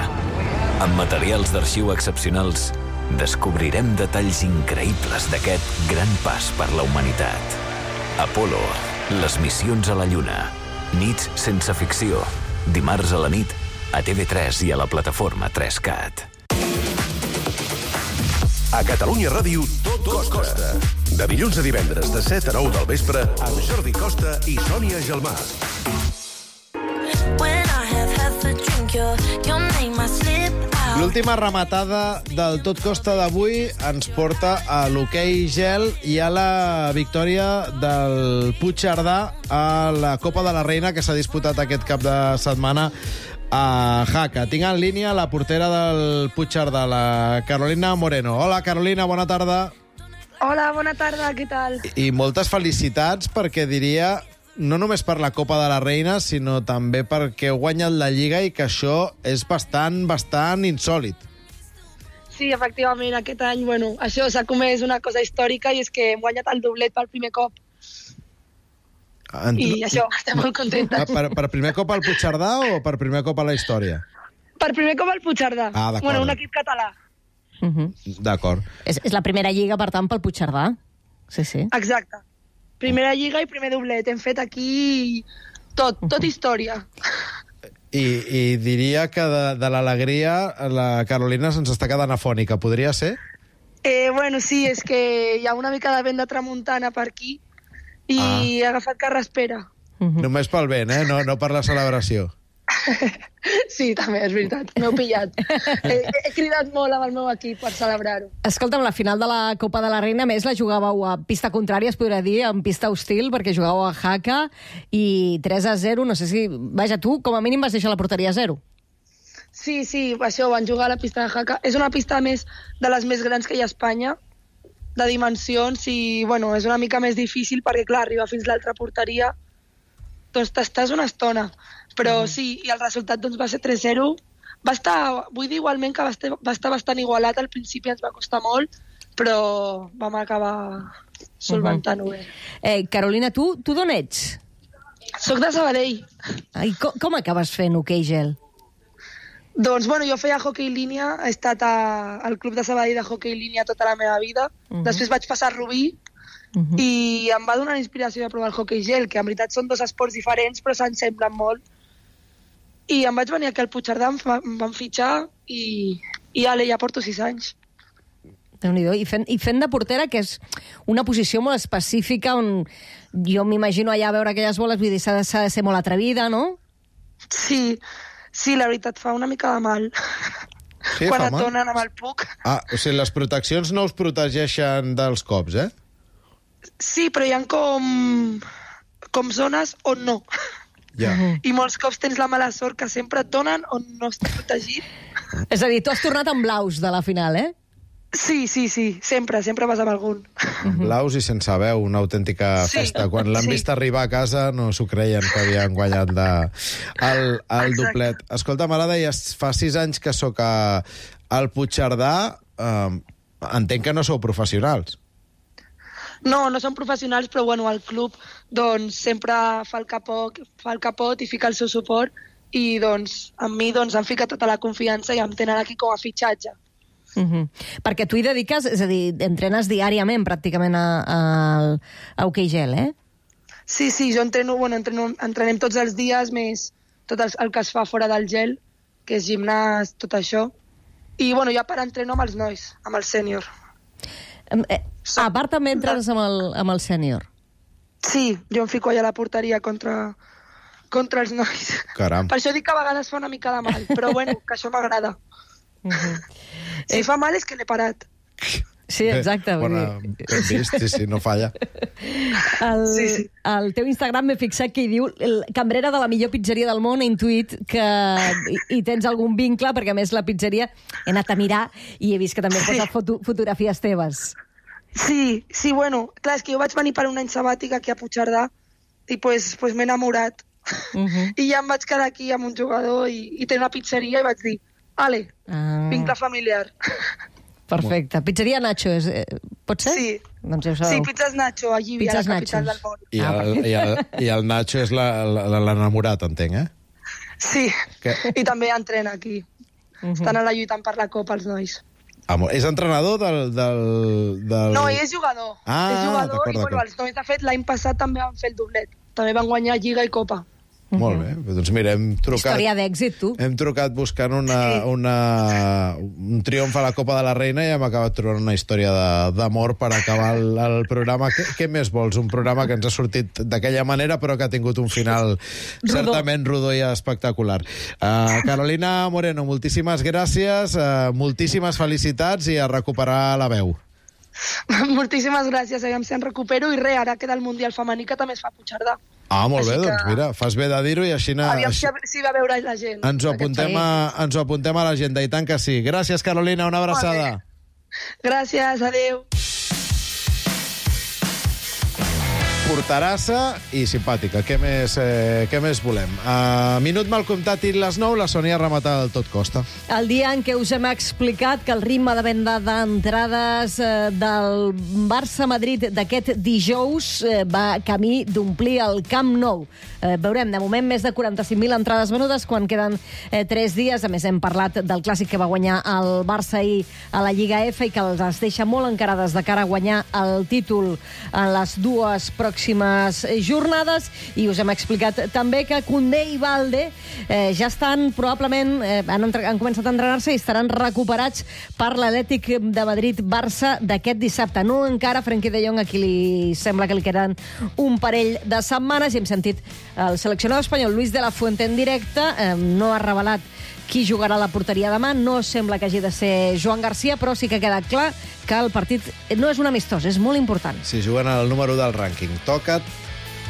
Amb materials d'arxiu excepcionals, descobrirem detalls increïbles d'aquest gran pas per la humanitat. Apollo, les missions a la Lluna. Nits sense ficció. Dimarts a la nit, a T V tres i a la plataforma tres cat. A Catalunya Ràdio, tot costa. De dilluns a divendres, de set a nou del vespre, amb Jordi Costa i Sònia Gelmà. L'última rematada del Tot Costa d'avui ens porta a l'hoquei gel i a la victòria del Puigcerdà a la Copa de la Reina, que s'ha disputat aquest cap de setmana a Jaca. Tinc en línia la portera del Puigcerdà, la Carolina Moreno. Hola, Carolina, bona tarda. Hola, bona tarda, què tal? I moltes felicitats, perquè diria no només per la Copa de la Reina, sinó també perquè heu guanyat la Lliga i que això és bastant, bastant insòlid. Sí, efectivament, aquest any, bueno, això s'ha comès una cosa històrica i és que hem guanyat el doblet per primer cop. En... I això, estem molt contentes. Per, per primer cop al Puigcerdà o per primer cop a la història? Per primer cop al Puigcerdà. Ah, d'acord. Bueno, un equip català. Uh -huh. D'acord. És, és la primera lliga, per tant, pel Puigcerdà. Sí, sí. Exacte. Primera lliga i primer doblet. Hem fet aquí tot, tot història. I, i diria que de, de l'alegria la Carolina se'ns està quedant afònica. Podria ser? Eh, bueno, sí, és que hi ha una mica de vent de tramuntana per aquí i ah. he agafat carraspera. Uh -huh. Només pel vent, eh? No, no per la celebració. Sí, també, és veritat. M'heu pillat. he, he cridat molt amb el meu equip per celebrar-ho. Escolta'm, la final de la Copa de la Reina, a més, la jugàveu a pista contrària, es podria dir, en pista hostil, perquè jugàveu a Jaca, i tres a zero, no sé si... Vaja, tu, com a mínim, vas deixar la porteria a zero. Sí, sí, això, van jugar a la pista de Jaca. És una pista més de les més grans que hi ha a Espanya, de dimensions, i, bueno, és una mica més difícil, perquè, clar, arribar fins l'altra porteria, doncs t'estàs una estona. Però mm. sí, i el resultat doncs, va ser tres zero. Va estar, vull dir igualment que va estar, va estar bastant igualat, al principi ens va costar molt, però vam acabar solventant-ho bé. Uh-huh. eh, Carolina, tu, tu d'on ets? Soc de Sabadell. Ai, com, com acabes fent hoquei gel? Doncs, bueno, jo feia hoquei línia, he estat a, al club de Sabadell de hoquei línia tota la meva vida. Uh-huh. Després vaig passar a Rubí, uh-huh. i em va donar inspiració de provar el hoquei gel, que en veritat són dos esports diferents, però s'ensemblen molt. I em vaig venir aquí al Puigcerdà, em, fa, em van fitxar i, i ale, ja porto sis anys. Déu-n'hi-do. I fent, I fent de portera, que és una posició molt específica, on jo m'imagino allà a veure aquelles boles, vull dir, s'ha de, s'ha de ser molt atrevida, no? Sí, sí, la veritat, fa una mica de mal. Sí, quan fa et mal? donen amb el puc. Ah, o sigui, les proteccions no us protegeixen dels cops, eh? Sí, però hi ha com, com zones on no. Ja. I molts cops tens la mala sort que sempre et donen on no estàs protegit. És a dir, tu has tornat amb blaus de la final, eh? Sí, sí, sí, sempre, sempre vas amb algun. Blaus i sense veu, una autèntica Sí, festa. Quan l'han sí. vist arribar a casa no s'ho creien que havien guanyat de... el, el Exacte. doblet. Escolta, ara deies, fa sis anys que sóc a, al Puigcerdà. Eh, entenc que no sou professionals. No, no són professionals, però bueno, el club doncs, sempre fa el, capot, fa el capot i fica el seu suport i doncs, amb mi doncs, em fica tota la confiança i em tenen aquí com a fitxatge. Uh -huh. Perquè tu hi dediques, és a dir, entrenes diàriament pràcticament a, a, a hoquei gel, eh? Sí, sí, jo entreno, bueno, entreno, entrenem tots els dies, més tot el, el que es fa fora del gel, que és gimnàs, tot això. I bueno, jo a part entreno amb els nois, amb el sènior. Eh, a part també entres amb el, amb el sènior? Sí, jo em fico allà a la porteria contra, contra els nois. Caram. Per això dic que a vegades fa una mica de mal, però bueno, que això m'agrada. Uh -huh. Si fa mal és que l'he parat. Sí, exacte. Bona, ben vist, sí, sí, no falla. El, Sí, sí. el teu Instagram m'he fixat que hi diu el cambrera de la millor pizzeria del món. He intuït que hi, hi tens algun vincle, perquè a més la pizzeria he anat a mirar i he vist que també Sí. posa foto, fotografies teves. Sí, sí, bueno, clar, és que jo vaig venir per un any sabàtic aquí a Puigcerdà i pues, pues m'he enamorat. Uh -huh. I ja em vaig quedar aquí amb un jugador i, i té una pizzeria i vaig dir, ale, Ah. vincle familiar. Perfecte. Pizzeria Nacho, és, eh, pot ser? Sí. Doncs ja ho Sí, sabeu. pizzas Nacho, a Llívia, Pizzas la capital Nachos. del món. I el, i el, i el Nacho és la- la- l'enamorat, entenc, eh? Sí, Que... i també entrena aquí. Uh -huh. Estan allà lluitant per la Copa, els nois. Amo, és entrenador del... del, del... No, ell és jugador. Ah, és jugador d'acord, i bueno, d'acord. els nois, de fet, l'any passat també van fer el doblet. També van guanyar Lliga i Copa. Molt bé, doncs mira, hem trucat... Història d'èxit, tu. Hem trucat buscant una, Sí. una, un triomf a la Copa de la Reina i hem acabat trobant una història de- d'amor per acabar el, el programa. Què, què més vols? Un programa que ens ha sortit d'aquella manera però que ha tingut un final Rodó. certament rodó i espectacular. Uh, Carolina Moreno, moltíssimes gràcies, uh, moltíssimes felicitats i a recuperar la veu. Moltíssimes gràcies, aviam si en recupero. I res, ara queda el Mundial femení que també es fa a Puigcerdà. Ah, molt Així bé, que- doncs mira, fas bé de dir-ho i així... na- Aviam així si, si va veure la gent. ens, ho apuntem a, ens ho apuntem a l'agenda, i tant que sí. Gràcies, Carolina, una abraçada. Gràcies, adeu. porterassa i simpàtica. Què més, eh, què més volem? A minut mal comptat i les nou, la Sònia remata el tot costa. El dia en què us hem explicat que el ritme de venda d'entrades eh, del Barça-Madrid d'aquest dijous eh, va camí d'omplir el Camp Nou. Eh, veurem, de moment, més de quaranta-cinc mil entrades venudes quan queden eh, tres dies. A més, hem parlat del clàssic que va guanyar el Barça ahir a la Lliga F i que els deixa molt encarades de cara a guanyar el títol en les dues pròximes jornades. I us hem explicat també que Koundé i Balde eh, ja estan probablement, eh, han, entre, han començat a entrenar-se i estaran recuperats per l'Atlètic de Madrid-Barça d'aquest dissabte. No encara Frenkie de Jong, a qui li sembla que li queden un parell de setmanes, i hem sentit el seleccionador espanyol Luis de la Fuente en directe. Eh, no ha revelat qui jugarà a la porteria demà. No sembla que hagi de ser Joan Garcia, però sí que queda clar que el partit no és un amistós, és molt important. Si juguen al número del rànquing. Toca't,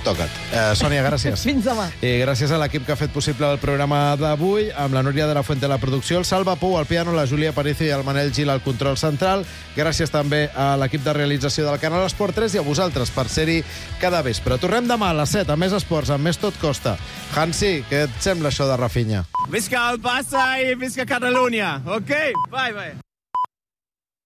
toca't. Eh, Sònia, gràcies. Fins demà. I gràcies a l'equip que ha fet possible el programa d'avui, amb la Núria de la Fuente a la producció, el Salva Pou al piano, la Júlia Aparicio i el Manel Gil al control central. Gràcies també a l'equip de realització del Canal Esport tres i a vosaltres per ser-hi cada vespre. Tornem demà a les set, amb més esports, amb més Tot Costa. Hansi, què et sembla això de Rafinha? Visca el Barça i visca Catalunya, ok? Bye, bye.